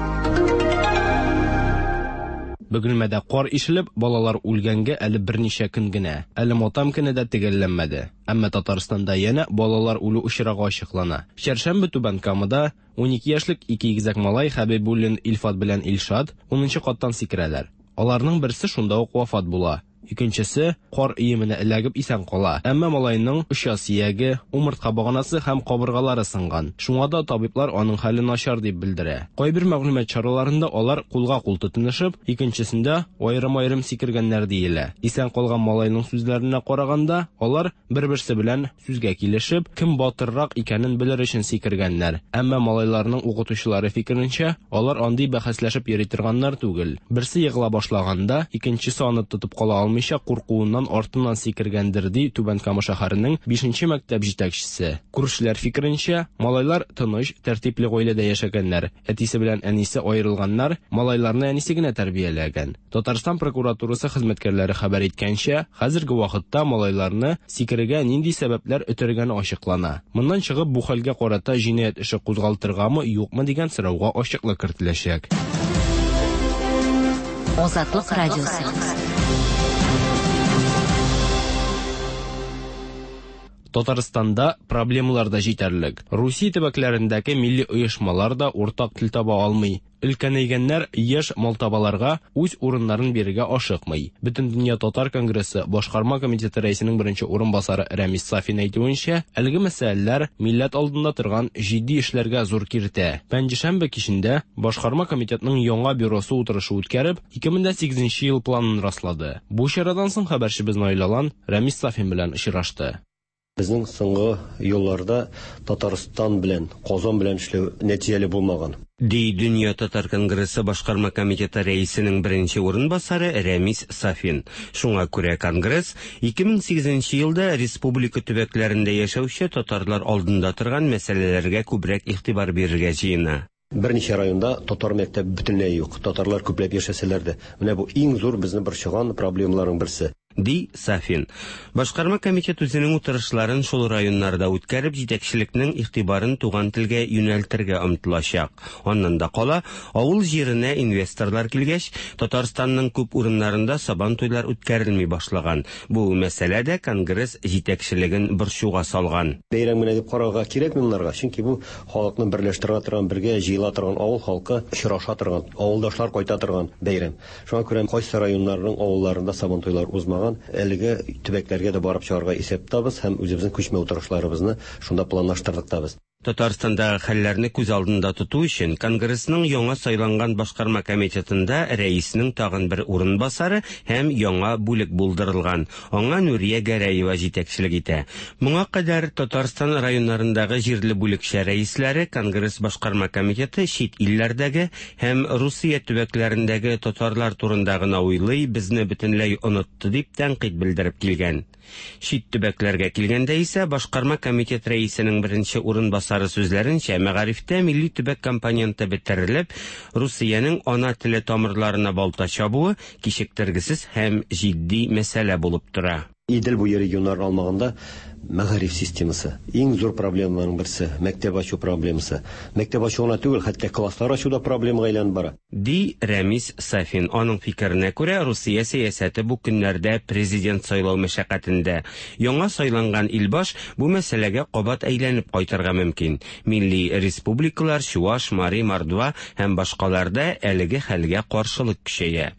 Бөгелмәдә кар ишелеп, балалар үлгәнгә әле берничә көн генә. Әле матам көне дә төгәлләнмәде. Әмма Татарстанда янә балалар үлү очрагы ачыклана. Чәршәмбе Түбән Камада ун ике яшьлек ике игезәк малай Хәбибуллин Илфат белән Илшат унынчы каттан сикерәләр. Аларның берсе шунда ук вафат була. Икенчесе кар өеменә эләгеп исән кала. Әмма малайның оча сөяге, умыртка баганасы һәм кабыргалары сынган. Шуңа да табиблар аның хәле начар дип белдерә. Кайбер мәгълүмат чараларында алар кулга кул тотынышып, икенчесендә аерым-аерым сикергәннәр диелә. Исән калган малайның сүзләренә караганда, алар бер-берсе белән сүзгә килешеп, кем батыррак икәнен белер өчен сикергәннәр. Әмма малайларның укытучылары фикеренчә, алар андый бәхәсләшеп йөри торганнар түгел. Берсе егыла башлаганда, икенчесе аны тотып кала алмый куркуыннан артыннан сикергәндер, ди Түбән Кама шәһәренең бишенче мәктәп җитәкчесе. Күршеләр фикеренчә, малайлар тыныч, тәртипле гаиләдә яшәгәннәр. Әтисе белән әнисе аерылганнар, малайларны әнисе генә тәрбияләгән. Татарстан прокуратурасы хезмәткәрләре хәбәр иткәнчә, хәзерге вакытта малайларны сикерергә нинди сәбәпләр өтергәне ачыклана. Моннан чыгып, бу хәлгә карата җинаять эше кузгалтыргамы, юкмы дигән сорауга ачыклык кертеләчәк. Азатлык радиосы. Татарстанда проблемалар да җитәрлек. Русия төбәкләрендәге милли оешмалар да уртак тел таба алмый. Өлкәнәйгәннәр яшь малтабаларга үз урыннарын бирергә ашыкмый. Бөтендөнья татар конгрессы башкарма комитеты рәисенең беренче урынбасары Рәмис Сафин әйтүенчә, әлеге мәсьәләләр милләт алдында торган җитди эшләргә зур киртә. Пәнҗешәмбе кичендә башкарма комитетның яңа бюросы утырышы үткәреп, ике мең сигезенче ел планын раслады. Бу чарадан соң хәбәрчебез Наил Алан Рәмис Сафин белән очрашты. Безнең соңгы елларда Татарстан белән, Казан белән эшләү нәтиҗәле булмаган. Ди Дөнья татар конгрессы башкарма комитеты рәисенең беренче урынбасары Рәмис Сафин. Шуңа күрә конгресс ике мең сигезенче елда республика төбәкләрендә яшәүче татарлар алдында торган мәсьәләләргә күбрәк игътибар бирергә җыена. Берничә районда татар мәктәбе бөтенләй юк. Татарлар күпләп яшәсәләр дә. Менә бу иң зур безне борчыган проблемаларның берсе. Ди Сафин. Башкарма комитет үзенең утырышларын шул районнарда үткәреп, җитәкчелекнең игътибарын туган телгә юнәлтергә омтылачак. Аннан да кала, авыл җиренә инвесторлар килгәч, Татарстанның күп урыннарында сабан туйлар үткәрелми башлаган. Бу мәсьәлә дә конгресс җитәкчелеген борчуга салган. Бәйрәм генә дип карарга кирәкми моннарга, чөнки бу халыкны берләштерә торган, бергә җыела торган, авыл халкы очраша торган, авылдашлар кайта торган бәйрәм. Шуңа күрә кайсы районнарның авылларында сабан туйлар узмаган, әлеге төбәкләргә дә барып чыгарга исәп табыз һәм үзебезнең күчмә утырышларыбызны шунда планлаштырдык табыз. Татарстандагы хәлләрне күз алдында тоту өчен Конгрессның яңа сайланган башкарма комитетында рәиснең тагын бер урынбасары һәм яңа бүлек булдырылган. Аңа Нурия Гәрәева җитәкчелек итә. Моңа кадәр Татарстан районнарындагы җирле бүлекчә рәисләре Конгресс башкарма комитеты чит илләрдәге һәм Русия төбәкләрендәге татарлар турында гына уйлый, безне бөтенләй онытты дип тәнкыйть белдереп килгән. Чит төбәкләргә килгәндә исә башкарма комитет рәисенең беренче урынбасары сүзләренчә, мәгарифтә милли төбәк компоненты бетерелеп, Русиянең ана теле тамырларына балта чабуы кичектергесез һәм җитди мәсьәлә булып тора. Идел буе регионнарын алмаганда мәгариф системасы иң зур проблемаларның берсе, мәктәп ачу проблемасы. Мәктәп ачу гына түгел, хәтта класслар ачу да проблемага әйләнеп бара. Ди Рәмис Сафин. Аның фикеренә күрә, Русия сәясәте бу көннәрдә президент сайлау мәшәкатендә. Яңа сайланган илбаш бу мәсьәләгә кабат әйләнеп кайтырга мөмкин. Милли республикалар, Чуаш, Мари, Мордва һәм башкаларда әлеге хәлгә каршылык көчәя.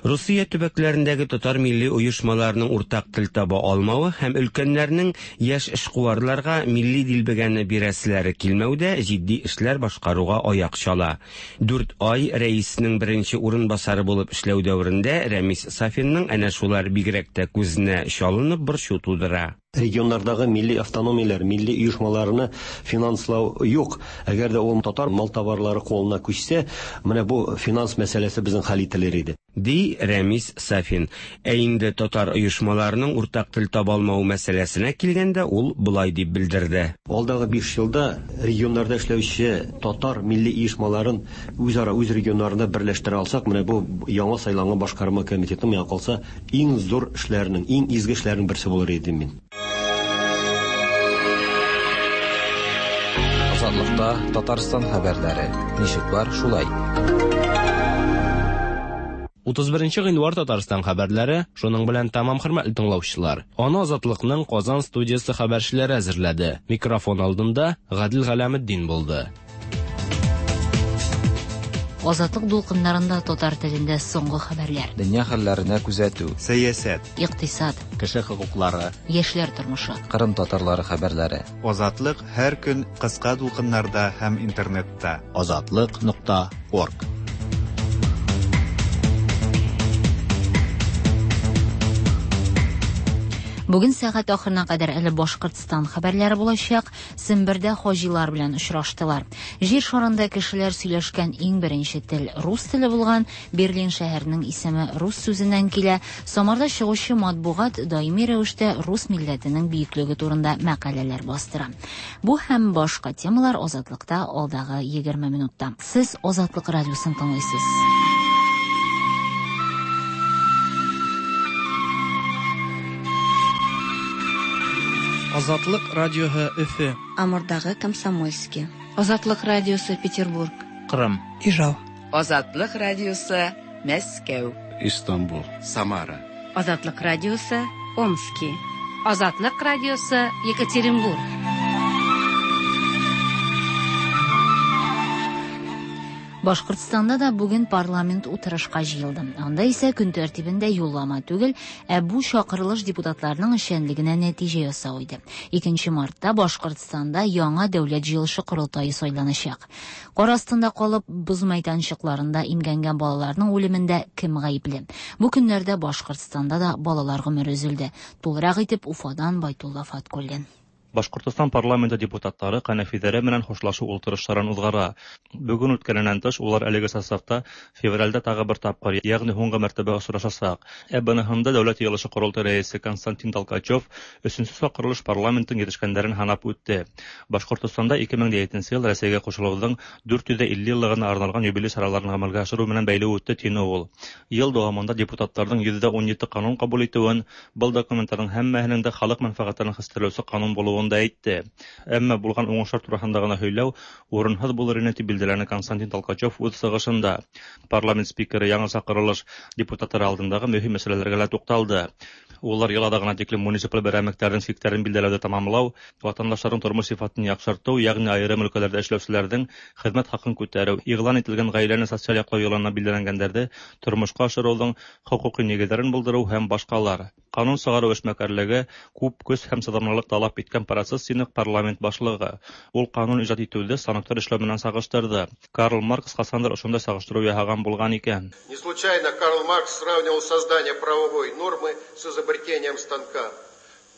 Русия төбәкләрендәге татар милли оешмаларының уртак тел таба алмавы һәм өлкәннәрнең яшь эшкуарларга милли дилбегәне бирәселәре килмәүдә җитди эшләр башкаруга аяк чала. Дүрт ай рәиснең беренче урынбасары булып эшләү дәверендә Рәмис Сафинның әнә шулар бигрәк тә күзенә чалынып борчу тудыра. Регионнардагы милли автономияләр, милли оешмаларны финанслау юк. Әгәр дә ул татар мал товарлары кулына күчсә, менә бу финанс мәсьәләсе безнең хәл ителер иде. Ди Рәмис Сафин. Ә инде татар оешмаларының уртак тел таба алмау мәсьәләсенә килгәндә ул болай дип белдерде. Алдагы биш елда регионнарда эшләүче татар милли оешмаларын үзара үз регионнарында берләштерә алсак, менә бу яңа сайланган башкарма комитетының миңа калса иң зур эшләренең, иң изге эшләренең берсе булыр иде мин. Азатлыкта Татарстан хәбәрләре. Ничек бар, шулай. утыз беренче гыйнвар Татарстан хәбәрләре шуның белән тәмам, хөрмәтле тыңлаучылар. Аны Азатлыкның Казан студиясе хәбәрчеләре әзерләде. Микрофон алдында Гадил Галәметдин булды. Азатлык дулкыннарында татар телендә соңгы хәбәрләр. Дөнья хәлләренә күзәтү, сәясәт, икътисад, кеше хокуклары, яшьләр тормышы, Кырым татарлары хәбәрләре. Азатлык һәр көн кыска дулкыннарда һәм интернетта. Азатлык нокта орг. Бүген сәгать ахырына кадәр әле Башкортстан хәбәрләре булачак. Сембердә хаҗилар белән очраштылар. Җир шарында кешеләр сөйләшкән иң беренче тел рус теле булган. Берлин шәһәренең исеме рус сүзеннән килә. Самарда чыгучы матбугат даими рәвештә рус милләтенең бөеклеге турында мәкаләләр бастыра. Бу һәм башка темалар Азатлыкта алдагы егерме минутта. Сез Азатлык радиосын тыңлыйсыз. Азатлык радиоһы Өфе. Амурдагы Комсомольский. Азатлык радиосы Петербург. Кырым. Ижау. Азатлык радиосы Мәскәү. Истанбул. Самара. Азатлык радиосы Омский. Азатлык радиосы Екатеринбург. Башкортстанда да бүген парламент утырышка җыелды. Анда исә көн тәртибендә юллама түгел, ә бу чакырылыш депутатларының эшчәнлегенә нәтиҗә ясау иде. икенче мартта Башкортстанда яңа дәүләт җыелышы корылтае сайланачак. Кар астында калып, боз мәйданчыкларында имгәнгән балаларның үлемендә кем гаепле? Бу көннәрдә Башкортстанда да балалар гомере өзелде. Тулырак итеп Уфадан Байтулла Фаткуллин. Башкортостан парламенты депутатлары кәнәфиләре менән хушлашу ултырышларын уҙғара. Бөгөн үткәненән тыш, улар әлеге составта февралдә тағы бер тапҡыр, ягъни һуңғы мәртәбә осрашасаҡ. Ә быныһында Дәүләт йыйылышы ҡоролтай рәйесе Константин Толкачев өсөнсө саҡырылыш парламенттың етешкәндәрен һанап үтте. Башҡортостанда ике мең етенсе йыл Рәсәйгә ҡушылыуҙың дүрт йөҙ илле йыллығына арналған юбилей сараларын ғәмәлгә ашырыу менән бәйле үтте, тине ул. Йыл дауамында депутаттарҙың йөҙҙә ун ете ҡанун ҡабул итеүен, был документтарҙың һәммәһенең дә халыҡ мәнфәғәттәрен хәстәрләүсе ҡанун булыуын да әйтте. Әммә булған уңыштар тураһында ғына һөйләү урынһыҙ булыр ине, тип билдәләне Константин Толкачев үҙ сығышында. Парламент спикеры яңы саҡырылыш депутаттары алдындағы мөһим мәсьәләләргә лә туҡталды. Улар йыл аҙағына тиклем муниципаль берәмектәрҙең сиктәрен билдәләүҙе тамамлау, ватандаштарҙың тормош сифатын яҡшыртыу, йәғни айырым өлкәләрҙә эшләүселәрҙең хеҙмәт хаҡын күтәреү, иғлан ителгән ғаиләне социаль яҡлау йылына билдәләнгәндәрҙе тормошҡа ашырыуҙың хоҡуҡи нигеҙҙәрен булдырыу һәм башҡалар. Ҡанун сығарыу эшмәкәрлеге күп көс һәм сыҙамлылыҡ талап иткән процесс, тине парламент башлығы. Ул ҡанун ижад итеүҙе станоктар эшләү менән сағыштырҙы. Карл Маркс ҡасандыр ошондай сағыштырыу яһаған булған икән. Не случайно Карл Маркс сравнивал создание правовой нормы с изобретением станка.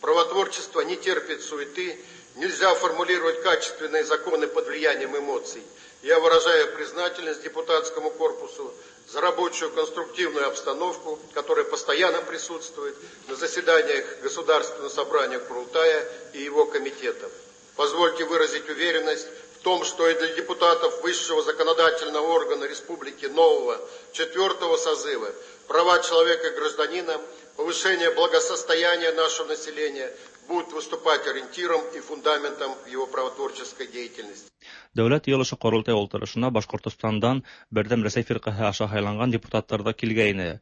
Правотворчество не терпит суеты, нельзя формулировать качественные законы под влиянием эмоций. Я выражаю признательность депутатскому корпусу за рабочую конструктивную обстановку, которая постоянно присутствует на заседаниях Государственного собрания Курултая и его комитетов. Позвольте выразить уверенность в том, что и для депутатов высшего законодательного органа республики нового четвертого созыва права человека и гражданина, повышение благосостояния нашего населения будут выступать ориентиром и фундаментом его правотворческой деятельности. Дәүләт йыйылышы Ҡоролтай ултырышына Башҡортостандан Берҙәм Рәсәй фирҡәһе аша һайланған депутаттар ҙа килгәйне.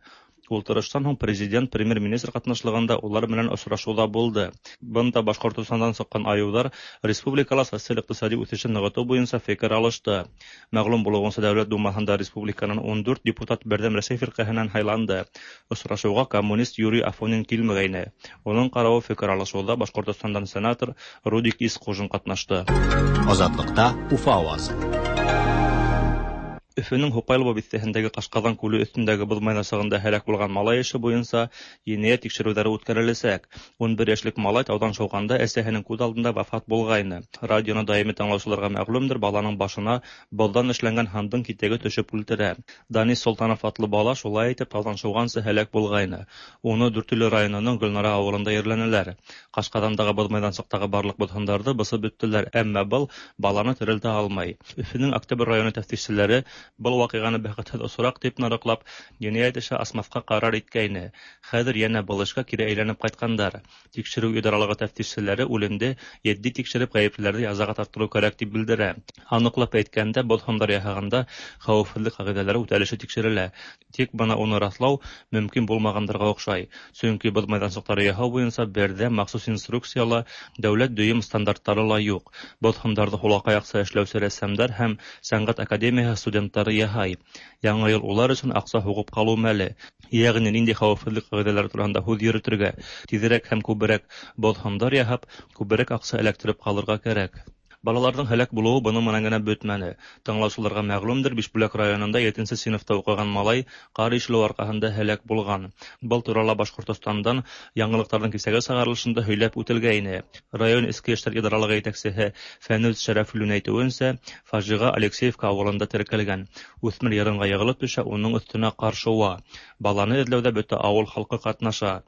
Ултырыштан һуң президент, премьер-министр ҡатнашлығында улар менән осрашыуҙа булды. Бында Башҡортостандан сыҡҡан айыуҙар республикала социаль-иҡтисади үҫешен нығытыу буйынса фекер алышты. Мәғлүм булыуынса, Дәүләт Думаһында республиканан ун дүрт депутат Берҙәм Рәсәй фирҡәһенән һайланды. Осрашыуға коммунист Юрий Афонин килмәгәйне. Уның ҡарауы фекер алышыуҙа Башҡортостандан сенатор Рудик Исҡужин ҡатнашты. Азатлыҡта Уфа ауазы. Өфөнөң Һуҡайлово биҫтәһендәге Ҡашҡаҙан күле өҫтөндәге боҙ майҙансығында һәләк булған малай эше буйынса енәйәт тикшереүҙәре үткәреләсәк. Ун бер йәшлек малай тауҙан шыуғанда әсәһенең күҙ алдында вафат булғайны. Радионы даими тыңлаусыларға мәғлүмдер, баланың башына боҙҙан эшләнгән һандың китәге төшөп үлтерә. Данис Солтанов атлы бала шулай итеп тауҙан шыуғансы һәләк булғайны. Уны Дүртөйлө районының Гөлнара ауылында ерләнеләр. Ҡашҡаҙандағы боҙ майҙансыҡтағы барлыҡ боҙһындарҙы бысып бөттөләр, әммә был баланы терелтә алмай. Өфөнөң Октябрь районы тәфтишселәре был ваҡиғаны бәхетһеҙ осраҡ тип нарыҡлап, енәйәт эше асмаҫҡа ҡарар иткәйне. Хәҙер йәнә был эшкә кире әйләнеп ҡайтҡандар. Тикшереү идаралығы тәфтишселәре үлемде етди тикшереп ғәйеплеләрҙе язаға тарттырыу кәрәк тип белдерә. Аныҡлап әйткәндә, боҙ һындар яһағанда хәүефһеҙлек ҡағиҙәләре үтәлеше тикшерелә. Тик бына уны раҫлау мөмкин булмағандарға оҡшай. Сөнки боҙ майҙансыҡтары яһау буйынса берҙә махсус инструкция ла, дәүләт дөйөм стандарттары ла юҡ. Боҙ һындарҙы һулаҡаяҡса эшләүсе рәссамдар һәм сәнғәт академияһы студенттары яһай. Яңы йыл улар өсөн аҡса һуғып ҡалыу мәле. Йәғни ниндәй хәүефһеҙлек ҡағиҙәләре тураһында һүҙ йөрөтөргә, тиҙерәк һәм күберәк боҙ һындар яһап, күберәк аҡса эләктереп ҡалырға кәрәк. Балаларҙың һәләк булыуы бының менән генә бөтмәне. Тыңлаусыларға мәғлүмдер, Бишбүләк районында етенсе синыфта уҡыған малай ҡар ишелеү арҡаһында һәләк булған. Был турала Башҡортостандан яңылыҡтарҙың кисәге сығарылышында һөйләп үтелгәйне. Район Эске эштәр идаралығы етәксеһе Фәнүз Шәрәфуллин әйтеүенсә, фажиға Алексеевка ауылында теркәлгән. Үҫмер йырынға йығылып төшә, уның өҫтөнә ҡар шыуа. Баланы эҙләүҙә бөтә ауыл халҡы ҡатнаша.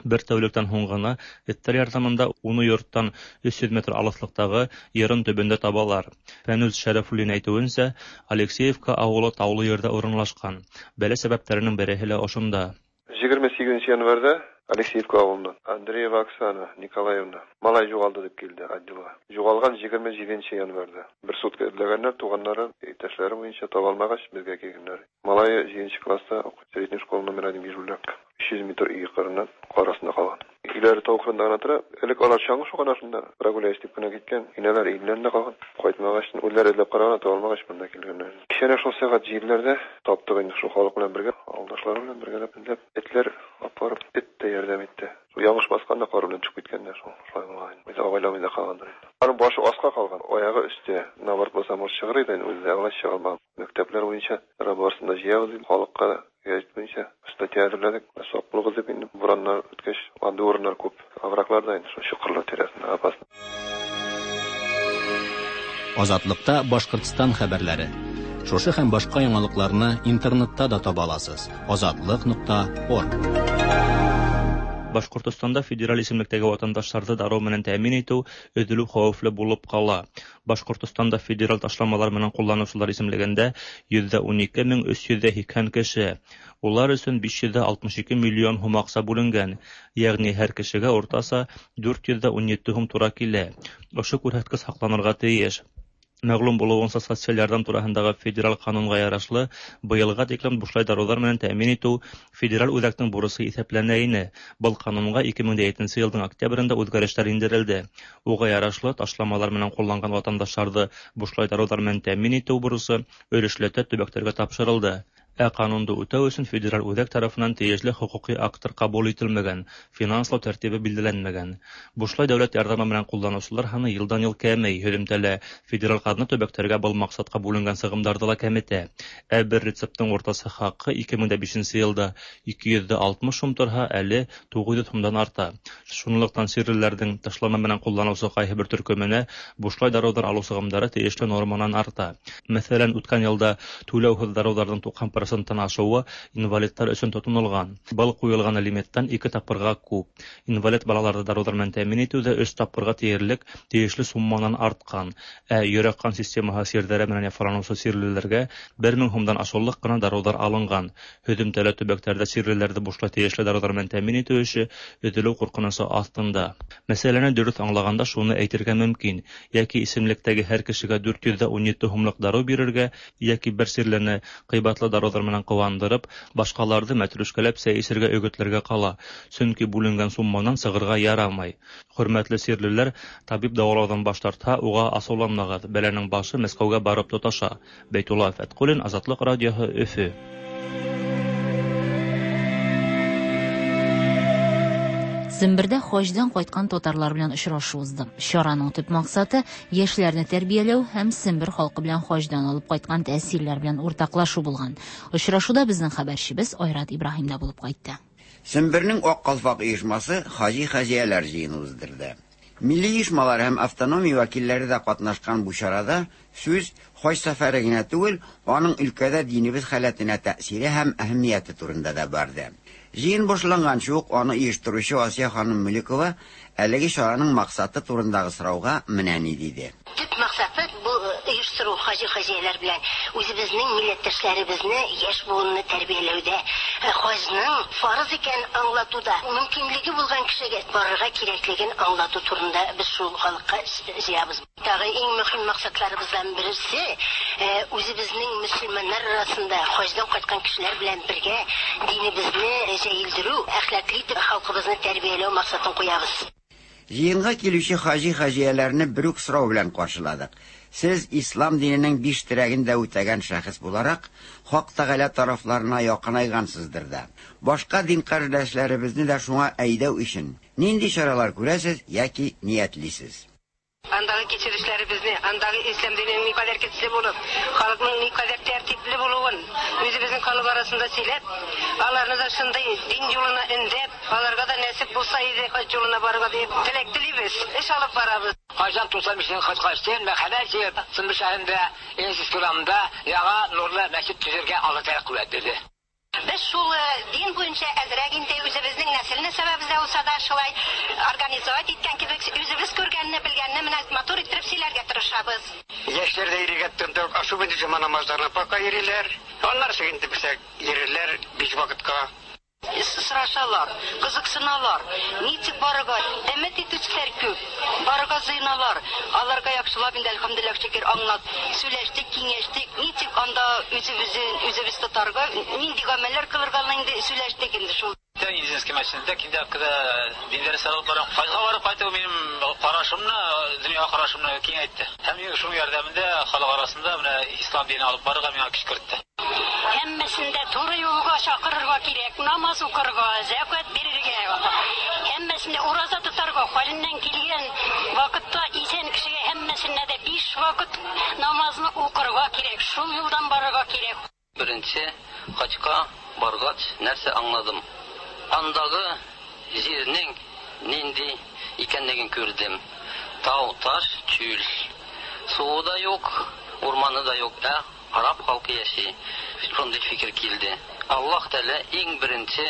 Бер тәүлектән һуң ғына эттәр ярҙамында уны йорттан өс йөҙ метр алыҫлыҡтағы йырын төбөндә табалар. Фәнүз Шәрәфуллин әйтеүенсә, Алексеевка ауылы таулы ерҙә урынлашҡан. Бәлә сәбәптәренең береһе лә ошонда. Егерме һигеҙенсе январҙа Алексеевка ауылынан Андреева Оксана Николаевна малай юғалды тип килде отделға. Юғалған егерме һигеҙенсе январҙа. Бер сутка эҙләгәндәр, туғандары, иптәшләре буйынса таба алмағас, беҙгә килгәндәр. Малайы һигеҙенсе класста уҡый, средняя школа номер один Бишбүләк. Өс йөҙ метр өй ҡырынан ҡар аҫтында ҡалған. Өйләре тау ҡырында ғына тора. Элек алар чаңғы шуған ашында прогуляюсь тип кенә киткән. Инәләр өйләрендә ҡалған. Ҡайтмағас, үҙләре эҙләп ҡараған, таба алмағас, бында килгәндәр. Кисәнә шул сәғәт елеләрҙә таптыҡ инде шул халыҡ менән бергә, ауылдашлары менән бергәләп эҙләп, этләр апарып, эт тә ярҙам итте. Шул яңыш баҫҡанда ҡар белән төшөп киткәндәр, шул шулай булған. Үҙе абайламай ҙа ҡалғандар инде. Аның башы аҫҡа ҡалған, аяғы өҫтә. Наоборот булса, может сығыр ине, үҙе лә алай сыға алмаған. Мәктәпләр буйынса барысын да йыябыҙ инде, халыҡҡа гәзит буйынса статья әҙерләнек. Саҡ булығыҙ тип инде бураннар үткәс, андый урыннар күп. Овраглар ҙа инде шул чоҡорлар тирәһендә опасно. Азатлыҡта Башҡортостан хәбәрләре. Шушы һәм башҡа яңылыҡларны интернетта да таба аласыз. Азатлыҡ нуҡта орг. Башҡортостанда федераль исемлектәге ватандаштарҙы дарыу менән тәьмин итеү өҙөлөү хәүефле булып ҡала. Башҡортостанда федераль ташламалар менән ҡулланыусылар исемлегендә йөҙҙә ун ике мең өс йөҙҙә һикһән кеше. Улар өсөн биш йөҙҙә алтмыш ике миллион һум аҡса бүленгән. Йәғни һәр кешегә уртаса дүрт йөҙҙә ун ете һум тура килә. Ошо күрһәткес һаҡланырға тейеш. Мәгълүм булыуынса, социаль ярҙам тураһындағы федераль ҡанунға ярашлы, быйылға тиклем бушлай дарыуҙар менән тәьмин итеү федераль үҙәктең бурысы иҫәпләнә ине. Был ҡанунға ике мең етенсе йылдың октябрендә үҙгәрештәр индерелде. Уға ярашлы, ташламалар менән ҡулланған ватандаштарҙы бушлай дарыуҙар менән тәьмин итеү бурысы өлөшләтә төбәктәргә тапшырылды. Ә ҡанунды үтәү өсөн федераль үҙәк тарафынан тейешле хоҡуҡи акттар ҡабул ителмәгән, финанслау тәртибе билдәләнмәгән. Бушлай дәүләт ярҙамы менән ҡулланыусылар һаны йылдан-йыл кәмей, һөҙөмтәлә федераль ҡаҙна төбәктәргә был маҡсатҡа бүленгән сығымдарҙы ла кәметә. Ә бер рецепттың уртаса хаҡы ике мең бишенсе йылда ике йөҙ алтмыш һум торһа, әле туғыҙ йөҙ һумдан арта. Шунлыҡтан сирлеләрҙең ташлама менән ҡулланыусы ҡайһы бер төркөмөнә бушлай дарыуҙар алыу сығымдары тейешле норманан арта. Мәҫәлән, үткән йылда түләүһеҙ дарыуҙарҙың туҡһан проценттан ашыуы инвалидтар өсөн тотонолған. Был ҡуйылған лимиттан ике тапҡырға күп. Инвалид балаларҙы дарыуҙар менән тәьмин итеү ҙә өс тапҡырға тиерлек тейешле сумманан артҡан. Ә йөрәк-ҡан системаһы сирҙәре менән яфаланыусы сирлеләргә бер мең һумдан ашыулыҡ ҡына дарыуҙар алынған. Һөҙөмтәлә төбәктәрҙә сирлеләрҙе бушлай тейешле дарыуҙар менән тәьмин итеү эше өҙөлөү ҡурҡынысы аҫтында. Мәсьәләне дөрөҫ аңлағанда шуны әйтергә мөмкин: йәки исемлектәге һәр кешегә дүрт йөҙ ун ете һумлыҡ дарыу бирергә, йәки бер сирлене ҡыйбатлы дарыуҙар менән ҡыуандырып, башҡаларҙы мәтрүшкәләп сәй эсергә өгөтләргә ҡала, сөнки бүленгән сумманан сығырға ярамай. Хөрмәтле сирлеләр, табип дауалауҙан баш тартһа, уға асыуланмағыҙ, бәләнең башы Мәскәүгә барып тоташа. Бәйтулла Фәтҡуллин, Азатлыҡ радиоһы, Өфө. Сембердә хаҗдан кайткан татарлар белән очрашу узды. Чараның төп максаты яшьләрне тәрбияләү һәм Сембер халкы белән хаҗдан алып кайткан тәэсирләр белән уртаклашу булган. Очрашуда безнең хәбәрчебез Айрат Ибраһим да булып кайтты. Сембернең Ак калфак оешмасы хаҗи-хаҗияләр җыены уздырды. Милли оешмалар һәм автономия вәкилләре дә катнашкан бу чарада сүз хаҗ сәфәре генә түгел, аның өлкәдә динебез халәтенә тәэсире һәм әһәмияте турында да барды. Җыен башланганчы ук аны оештыручы Асия ханым Мөлекова әлеге чараның максаты турындагы сорауга менә ни диде. Төп максаты бу оештыру хаҗи-хаҗияләр белән үзебезнең милләттәшләребезне, яшь буынны тәрбияләүдә, хаҗның фарыз икәнен аңлатуда, мөмкинлеге булган кешегә барырга кирәклеген аңлату турында без шул халыкка җыябыз. Тагы иң мөһим максатларыбыздан берсе үзебезнең мөселманнар арасында хаҗдан кайткан кешеләр белән бергә динебезне җәелдерү, әхлаклы итеп халкыбызны тәрбияләү максатын куябыз. Җыенга килүче хаҗи-хаҗияләрне бер үк сорау белән каршыладык. Сез ислам диненең биш терәген дә үтәгән шәхес буларак, Хак Тәгалә тарафларына якынайгансыздыр да. Башка дин кардәшләребезне дә шуңа әйдәү өчен нинди чаралар күрәсез яки ниятлисез? Андагы кичерешләребезне, андагы ислам диненең никадәр көчле булып, халыкның никадәр тәртипле булуын үзебезнең халык арасында сөйләп, аларны да шундый дин юлына өндәп, аларга да нәсип булса иде хаҗ юлына барырга дип теләк телибез, эш алып барабыз. Хаҗдан туксан бишенче хаҗ качтым, мәхәллә җыеп, Сымбыр шәһәрендә, Инсис урамында яңа нурлы мәчет төзергә Алла Тәгалә куәт бирде. Без шул дин буенча әзрәк инде үзебезнең нәселне сәбәбездә булса да шулай организовать иткән кебек үзебез күргәнне, белгәнне менә матур иттереп сөйләргә тырышабыз. Яшьләр дә йөрергә тотындык, особенно җомга намазларына пока йөриләр. Аннары инде безгә йөрерләр биш вакытка. Сорашалар, кызыксыналар, ничек барырга, өмет итүчеләр күп, барырга җыеналар. Аларга яхшылап инде әлхәмдүлилләһ шөкер аңлат, сөйләштек, киңәштек, ничек анда үзебезне үзебез тотарга, нинди гамәлләр кылырга инде сөйләштек инде шул. Медицинский мәчетендә киндә дин дәресләре алып барам. Хаҗга барып кайту минем карашымны, дөнья карашымны киңәйтте. Һәм шуның ярдәмендә халык арасында менә ислам динен алып барырга миңа көч кертте. Һәммәсен дә туры юлга чакырырга кирәк, намаз укырга, зәкят бирергә, һәммәсен дә ураза тотарга, хәленнән килгән вакытта исән кешегә һәммәсенә дә биш вакыт намазны укырга кирәк, шул юлдан барырга кирәк. Беренче хаҗга баргач нәрсә аңладым? Андагы җирнең нинди икәнлеген күрдем. Тау, таш, чүл. Суы да юк, урманы да юк, ә араб халкы яши. Шундый фикер килде. Аллаһ Тәгалә иң беренче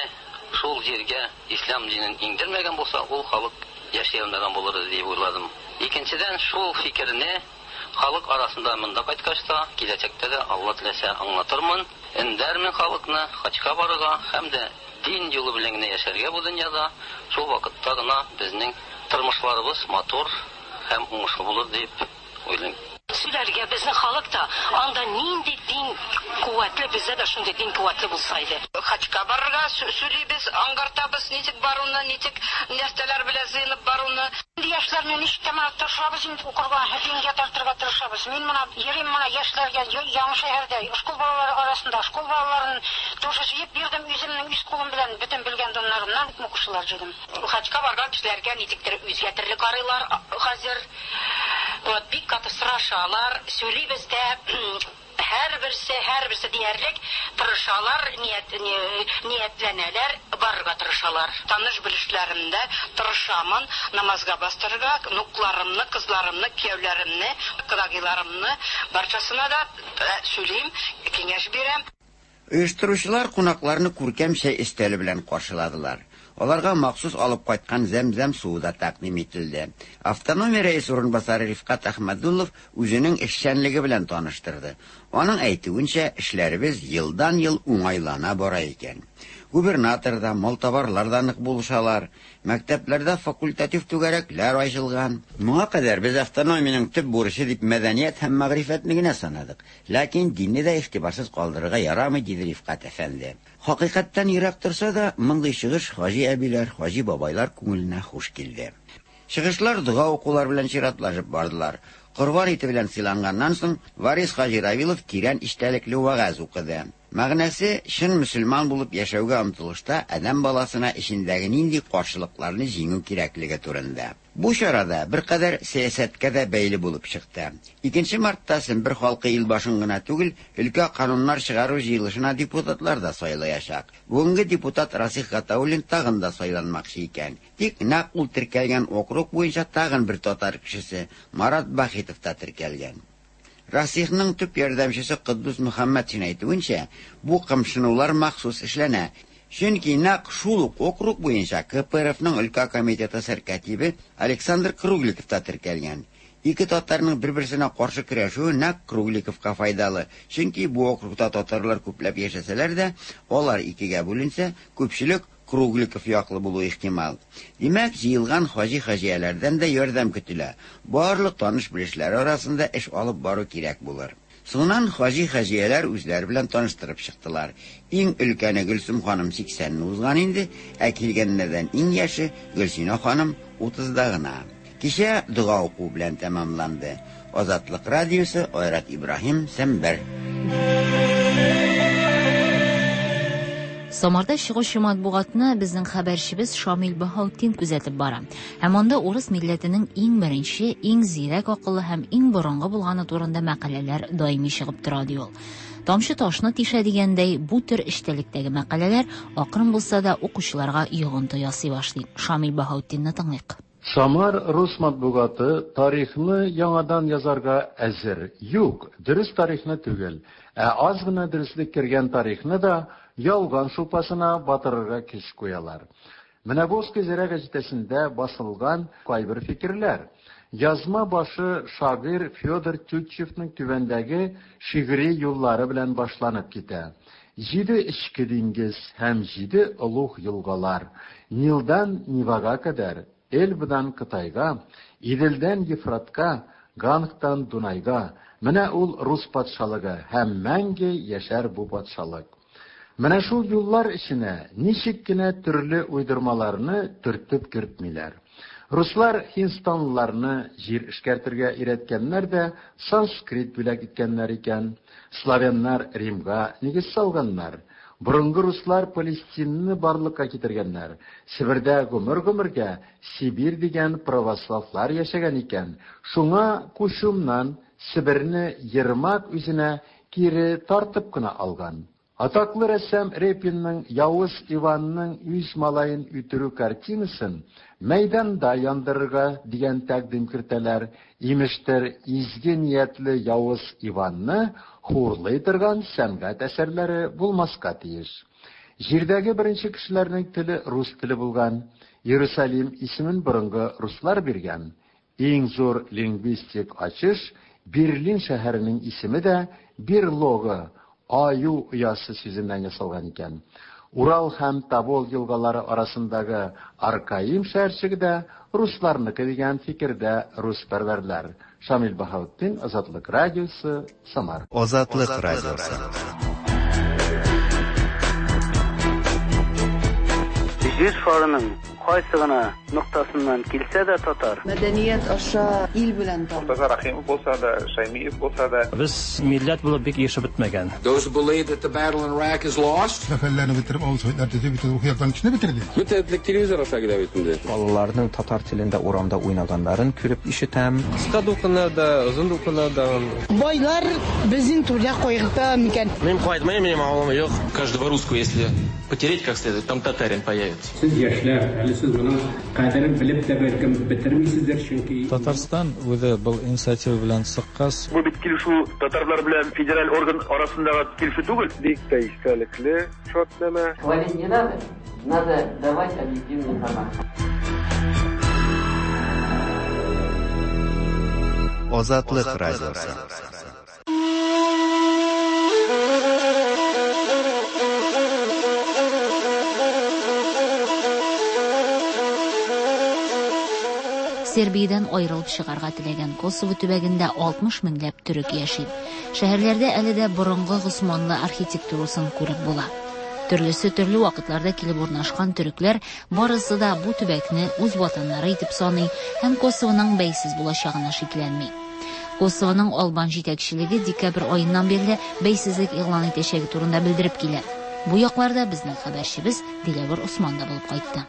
шул җиргә ислам динен иңдермәгән булса, ул халык яши алмаган булыр иде дип уйладым. Икенчедән, шул фикерне халык арасында монда кайткач та, киләчәктә дә Алла теләсә аңлатырмын, өндәрмен халыкны хаҗга барырга һәм дә дин юлы белән генә яшәргә бу дөньяда. Шул вакытта гына безнең тормышларыбыз матур һәм уңышлы булыр дип уйлыйм. Сөйләргә безнең халык та анда нинди дин куәтле, бездә дә шундый дин куәтле булса иде. Хаҗга барырга сөйлибез, аңгартабыз, ничек баруны, ничек нәрсәләр белән җыенып баруны. Инде яшьләрне ничек тә менә тырышабыз инде укырга, дингә тартырга тырышабыз. Мин менә йөрим менә яшьләргә яңа шәһәрдә, школ балалары арасында, школ балаларын тоже җыеп бирдем үземнең үз кулым белән, бөтен белгән доннарымнан укучылар җыйдым. Хаҗга барган кешеләргә ничектер үзгә төрле карыйлар хәзер. Вот бик каты сорашалар, сөйлибез дә, һәрберсе, һәрберсе диярлек тырышалар, ният, ниятләнәләр, барырга тырышалар. Таныш белешләремдә тырышамын намазга бастырырга, внукларымны, кызларымны, кияүләремне, кодагыйларымны барчасына да сөйлим, киңәш бирәм. Оештыручылар кунакларны күркәм чәй өстәле белән каршыладылар. Аларга махсус алып кайткан зәм-зәм суы да тәкъдим ителде. Автономия рәисе урынбасары Рифкат Әхмәдуллов үзенең эшчәнлеге белән таныштырды. Аның әйтүенчә, эшләребез елдан-ел уңайлана бара икән. Губернатор да, малтабарлар да нык булышалар. Мәктәпләрдә факультатив түгәрәкләр ачылган. Моңа кадәр без автономиянең төп бурычы дип мәдәният һәм мәгърифәтне генә санадык. Ләкин динне дә игътибарсыз калдырырга ярамый, диде Рифкат әфәнде. Хакыйкатьтән ерак торса да, мондый чыгыш хаҗи әбиләр, хаҗи бабайлар күңеленә хуш килде. Чыгышлар дога укулар белән чиратлашып бардылар. Корбан ите белән сыйланганнан соң Варис хаҗи Равилов тирән эчтәлекле вәгазь укыды. Мәгънәсе чын мөселман булып яшәүгә омтылышта адәм баласына эчендәге нинди каршылыкларны җиңү кирәклеге турында. Бу чарада беркадәр сәясәткә дә бәйле булып чыкты. Икенче мартта Сембер халкы ил башын гына түгел, өлкә кануннар чыгару җыелышына депутатлар да сайлаячак. Бүгенге депутат Расих Гатауллин тагын да сайланмакчы икән. Тик нәкъ ул теркәлгән округ буенча тагын бер татар кешесе Марат Бахитов та теркәлгән. Расихның төп ярдәмчесе Кыддус Мөхәммәтшин әйтүенчә, бу кымшынулар махсус эшләнә. Чөнки нәкъ шул ук округ буенча К П Р Фның өлкә комитеты сәркатибе Александр Кругликов та теркәлгән. Ике татарның бер-берсенә каршы көрәшүе нәкъ Кругликовка файдалы. Чөнки бу округта татарлар күпләп яшәсәләр дә, алар икегә бүленсә, күпчелек Кругликов яклы булу ихтимал. Димәк, җыелган хаҗи-хаҗияләрдән дә ярдәм көтелә. Барлык таныш белешләр арасында эш алып бару кирәк булыр. Соңыннан хаҗи-хаҗияләр үзләре белән таныштырып чыктылар. Иң өлкәне Гөлсем ханым сиксәнне узган инде, ә килгәннәрдән иң яше Гөлсинә ханым утызда гына. Кичә дога уку белән тәмамланды. Азатлык радиосы, Айрат Ибраһим, Сембер. Самарда чыгучы матбугатны безнең хәбәрчебез Шамил Баһаутдин күзәтеп бара. Һәм анда урыс милләтенең иң беренче, иң зирәк акыллы һәм иң борынгы булганы турында мәкаләләр даими чыгып тора, ди ул. Тамчы ташны тишә дигәндәй, бу төр эчтәлектәге мәкаләләр акрын булса да укучыларга йогынты ясый башлый. Шамил Баһаутдинны тыңлыйк. Самар рус матбугаты тарихны яңадан язарга әзер. Юк, дөрес тарихны түгел, ә аз гына дөреслек кергән тарихны да ялган шулпасына батырырга көч куялар. Менә бу Зирә гәзитәсендә басылган кайбер фикерләр. Язма башы шагыйрь Федор Тютчевның түбәндәге шигъри юллары белән башланып китә. Җиде эчке диңгез һәм җиде олуг елгалар, Нилдан Невага кадәр, Эльбадан Кытайга, Иделдән Ефратка, Гангтан Дунайга. Менә ул рус патшалыгы һәм мәңге яшәр бу патшалык. Менә шул юллар эченә ничек кенә төрле уйдырмаларны төртеп кертмиләр. Руслар һиндстанлыларны җир эшкәртергә өйрәткәннәр дә санскрит бүләк иткәннәр икән. Славяннар Римга нигез салганнар. Борынгы руслар Палестинны барлыкка китергәннәр. Себердә гомер-гомергә Сибирь дигән православлар яшәгән икән. Шуңа Кушумнан Себерне Ермак үзенә кире тартып кына алган. Атаклы рәссам Репинның Явыз Иванның үз малаен үтерү картинасын мәйданда яндырырга дигән тәкъдим кертәләр. Имештер, изге ниятле Явыз Иванны хурлый торган сәнгать әсәрләре булмаска тиеш. Җирдәге беренче кешеләрнең теле рус теле булган. Иерусалим исемен борынгы руслар биргән. Иң зур лингвистик ачыш Берлин шәһәренең исеме дә Берлогы, аю оясы сүзеннән ясалган икән. Урал һәм Тобол елгалары арасындагы Аркаим шәһәрчеге дә русларныкы дигән фикердә руспәрвәрләр. Шамил Баһаутдин, Азатлык радиосы, Самара. Азатлык радиосы. Җир шарының кайсы гына ноктасыннан килсә дә татар. Мәдәният аша ил белән таныш. Мортаза Рахимов булса да, Шаймиев булса да. Без милләт булып бик ешып бетмәгән. Those who believe that the battle in Iraq is lost. Сәфәрләрне бетереп, авыл советлар төзеп, бөтен рухи яктан кешене бетерде. Бөтен телевизор аша килә бит инде. Балаларның татар телендә урамда уйнаганнарын күреп ишетәм. Кыска дулкыннарда, озын дулкыннарда. Байлар безнең түрдә кайгырта микән? Мин кайтмыйм, минем авылым юк. Каждого русского, если потереть как следует, там татарин появится. Сез яшьләр, әле сез моның кадерен белеп тә бәлкем бетермисездер, чөнки Татарстан үзе был инициатива белән чыккач, бу бит килешү татарлар белән федераль орган арасындагы килешү түгел. Бик тә истәлекле шартнамә. Хвалить не надо, надо давать объективную информацию. Азатлык радиосы. Сербиядән аерылып чыгарга теләгән Косово төбәгендә алтмыш меңләп төрек яши. Шәһәрләрдә әле дә борынгы госманлы архитектурасын күреп була. Төрлесе төрле вакытларда килеп урнашкан төрекләр барысы да бу төбәкне үз ватаннары итеп саный һәм Косовоның бәйсез булачагына шикләнми. Косовоның албан җитәкчелеге декабрь аеннан бирле бәйсезлек игълан итәчәге турында белдереп килә. Бу якларда безнең хәбәрчебез Диләвер Усман да булып кайтты.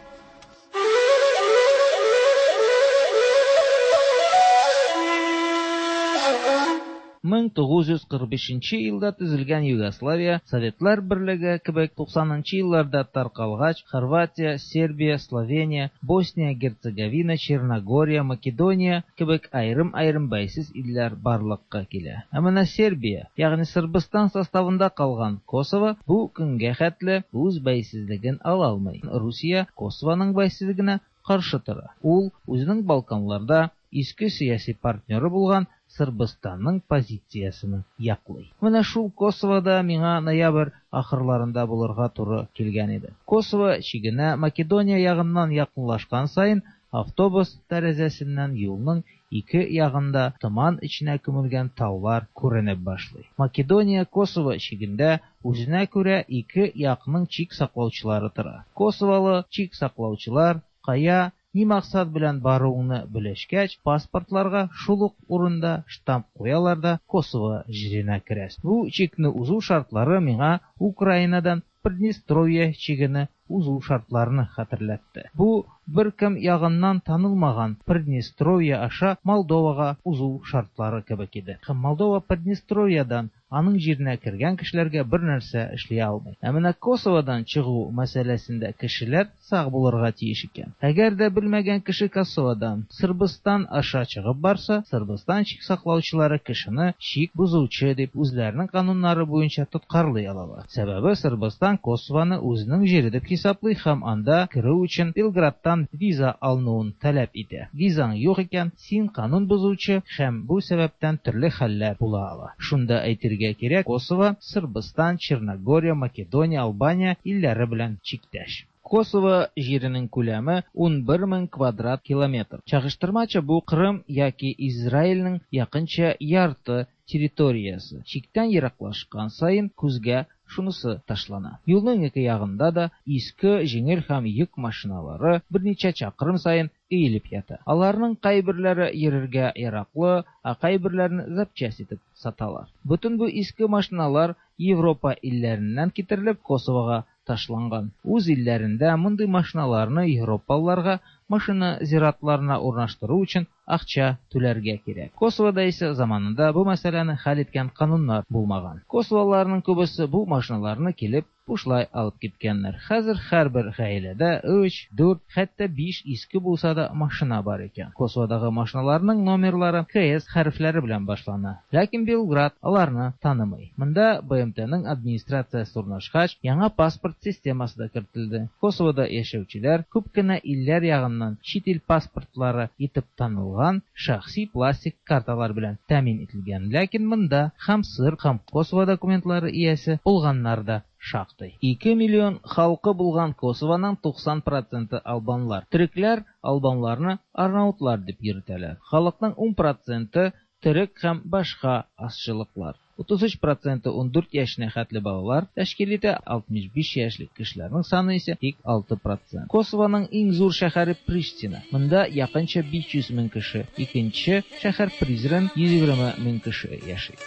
мең тугыз йөз кырык бишенче елда төзелгән Югославия, Советлар Берлеге кебек туксанынчы елларда таркалгач, Хорватия, Сербия, Словения, Босния, Герцеговина, Черногория, Македония кебек аерым-аерым бәйсез илләр барлыкка килә. Ә менә Сербия, ягъни Сырбыстан составында калган Косово бу көнгә хәтле үз бәйсезлеген ала алмый. Русия Косованың бәйсезлегенә каршы тора. Ул үзенең Балканларда иске сәяси партнеры булган Сырбыстанның позициясен яклый. Менә шул Косовода миңа ноябрь ахырларында булырга туры килгән иде. Косово чигенә Македония ягыннан якынлашкан саен автобус тәрәзәсеннән юлның ике ягында томан эченә күмелгән таулар күренеп башлый. Македония Косово чигендә үзенә күрә ике якның чик саклаучылары тора. Косоволы чик саклаучылар кая ни максат белән баруыңны белешкәч, паспортларга шул ук урында штамп куялар да Косово җиренә керәсең. Бу чикне узу шартлары миңа Украинадан Приднестровье чигене узу шартларын хәтерләтте. Бу бер кем ягыннан танылмаган Приднестровье аша Молдовага узу шартлары кебек иде. Һәм Молдова Приднестровьядан аның җиренә кергән кешеләргә бер нәрсә эшли алмый. Ә менә Косоводан чыгу мәсьәләсендә кешеләр сак булырга тиеш икән. Әгәр дә белмәгән кеше Косоводан Сырбыстан аша чыгып барса, Сырбыстан чик саклаучылары кешене чик бозучы дип үзләренең кануннары буенча тоткарлый алалар. Сәбәбе Сырбыстан Косовоны үзенең җире дип хисаплый һәм анда керү өчен Белградтан виза алынуын таләп итә. Визаң юк икән, син канун бозучы һәм бу сәбәптән төрле хәлләр була ала. Шунда әйтергә кирәк, Косово, Сырбыстан, Черногория, Македония, Албания илләре белән чиктәш. Косово җиренең күләме ун бер мең квадрат километр. Чагыштырмача бу Кырым яки Израильнең якынча ярты территориясе. Чиктән ераклашкан саен күзгә шунысы ташлана. Юлның ике ягында да иске җиңел һәм йөк машиналары берничә чакрым саен өелеп ята. Аларның кайберләре йөрергә яраклы, ә кайберләрен запчасть итеп саталар. Бөтен бу иске машиналар Европа илләреннән китерелеп Косовога ташланган. Үз илләрендә мондый машиналарны европалыларга машина зиратларына урнаштыру өчен акча түләргә кирәк. Косовода исә заманында бу мәсьәләне хәл иткән кануннар булмаган. Косоволыларның күбесе бу машиналарны килеп бушлай алып киткәннәр. Хәзер һәрбер гаиләдә өч, дүрт, хәтта биш иске булса да машина бар икән. Косоводагы машиналарның номерлары К С хәрефләре белән башлана. Ләкин Белград аларны танымый. Монда Б М Т-ның администрациясе урнашкач, яңа паспорт системасы да кертелде. Косовода яшәүчеләр күп кенә илләр ягыннан чит ил паспортлары итеп танылган ясалган шәхси пластик карталар белән тәэмин ителгән. Ләкин монда һәм сырб, һәм Косово документлары иясе булганнар да шактый. Ике миллион халкы булган Косованың туксан проценты албанлар. Төрекләр албанларны арнаутлар дип йөртәләр. Халыкның ун проценты төрек һәм башка азчылыклар. Утыз өч проценты ундүрт яшенә хәтле балалар тәшкил итә, алтмыш биш яшьлек кешеләрнең саны исә тик алты процент. Косованың иң зур шәһәре Приштина. Монда якынча биш йөз мең кеше. Икенче шәһәр Призрен йөз егерме мең кеше яши.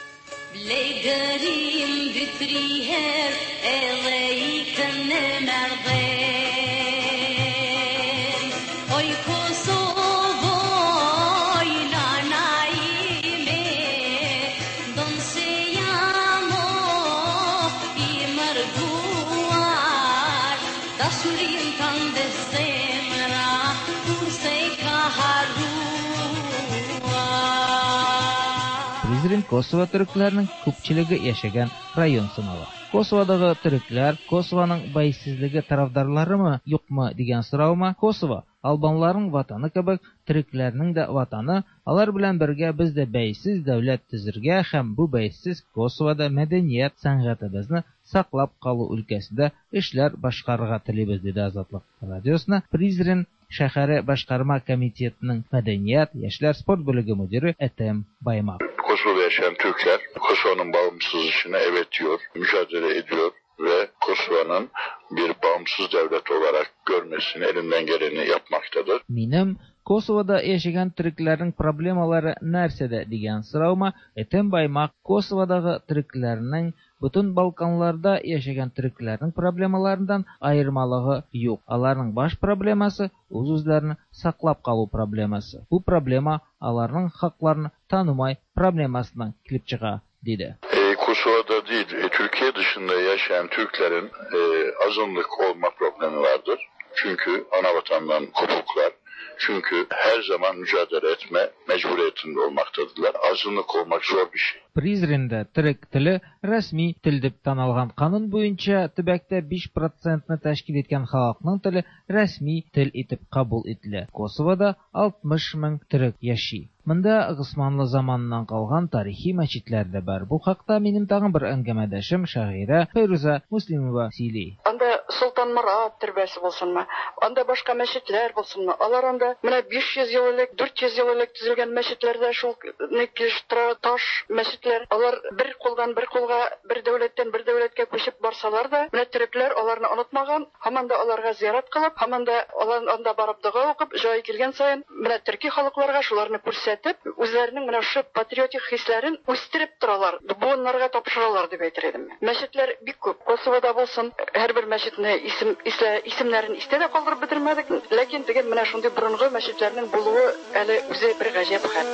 Призрен Косово төрекләренең күпчелеге яшәгән район санала. Косоводагы төрекләр Косованың бәйсезлеге тарафдарларымы, юкмы дигән сораума, Косово албанларның ватаны кебек төрекләрнең дә ватаны, алар белән бергә без дә бәйсез дәүләт төзергә һәм бу бәйсез Косовода мәдәният, сәнгатебезне саклап калу өлкәсендә эшләр башкарырга телибез, диде Азатлык радиосына Призрен шәһәре башкарма комитетының мәдәният, яшьләр, спорт бүлеге мөдире Этем Баймак. Kosova'da yaşayan Türkler Kosova'nın bağımsızlığına evet diyor, mücadele ediyor ve Kosova'nın bir bağımsız devlet olarak görmesini elinden geleni yapmaktadır. Минем Косовода яшәгән төрекләрнең проблемалары нәрсәдә дигән сораума Этем Баймак Косоводагы төрекләрнең бөтен Балканларда яшәгән төрекләрнең проблемаларыннан аермалыгы юк. Аларның баш проблемасы үз-үзләрен саклап калу проблемасы. Бу проблема аларның хакларын танымай проблемасыннан килеп чыга, диде. E, Kosova'da değil, e, Türkiye dışında yaşayan Türklerin e, azınlık olma problemi vardır. Çünkü ana vatandan kopuklar. Çünkü her zaman mücadele etme mecburiyetinde olmaktadırlar. Azınlık olmak zor bir şey. Призренда төрек теле рәсми тел дип танылган канун буенча төбәктә биш процентны тәшкил иткән халыкның теле рәсми тел итеп кабул ителә. Косовода алтмыш мең төрек яши. Монда Госманлы заманыннан калган тарихи мәчетләр дә бар. Бу хакта минем тагын бер әңгәмәдәшем шагыйрә Фәйрүзә Муслимова сөйли. Анда Солтан Морат төрбәсе булсынмы, анда башка мәчетләр булсынмы? Алар анда менә биш йөз ел элек, дүрт йөз ел элек төзелгән мәчетләрдә шул килеш тора, таш мәчетләр. Алар бер кулдан бер кулга, бер дәүләттән бер дәүләткә күчеп барсалар да, менә төрекләр аларны онытмаган, һаман да аларга зиярат кылып, һаман да алар анда барып дога укып, җай килгән саен менә төрки халыкларга шуларны күрсәтеп, үзләренең менә шул патриотик хисләрен үстереп торалар, буыннарга тапшыралар дип әйтер идем. Мәчетләр бик күп. Косовода булсын, һәрбер мәчетне исем, исемнәрен истә дә калдырып бетермәдек, ләкин теге менә шундый борынгы мәчетләрнең булуы әле үзе бер гаҗәп хәл.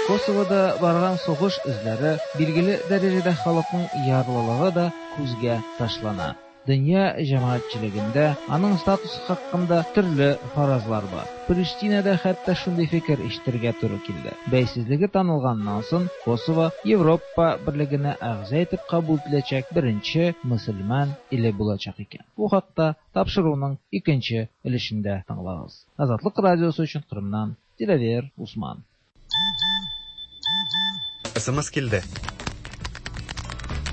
Косовода барган сугыш эзләре билгеле дәрәҗәдә халыкның ярлылыгы да күзгә ташлана. Дөнья җәмәгатьчелегендә аның статусы хакында төрле фаразлар бар. Приштинада хәтта шундый фикер ишетергә туры килде. Бәйсезлеге танылганнан соң Косово Европа берлегенә әгъза итеп кабул ителәчәк беренче мөселман иле булачак икән. Бу хакта тапшыруның икенче өлешендә тыңлагыз. Азатлык радиосы өчен Кырымнан Диләвер Усман. Эс эм эс килде.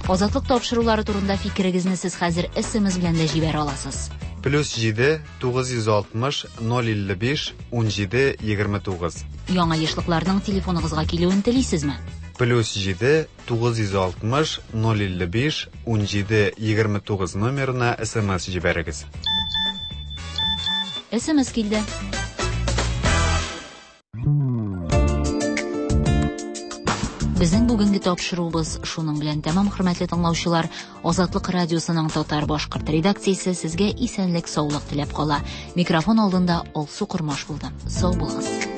Азатлык тапшырулары турында фикерегезне сез хәзер эс эм эс белән дә җибәрә аласыз. Плюс җиде, тугыз йөз алтмыш, ноль илле биш, ун җиде, егерме тугыз. Яңа ешлыкларның телефоныгызга килүен телисезме? Плюс җиде, тугыз йөз алтмыш, ноль илле биш, ун җиде, егерме тугыз номерына эс эм эс җибәрегез. эс эм эс килде. Безнең бүгенге тапшыруыбыз шуның белән тәмам, хөрмәтле тыңлаучылар. Азатлык радиосының татар башкорт редакциясе сезгә исәнлек, саулык теләп кала. Микрофон алдында Алсу Кормаш булды. Сау булыгыз.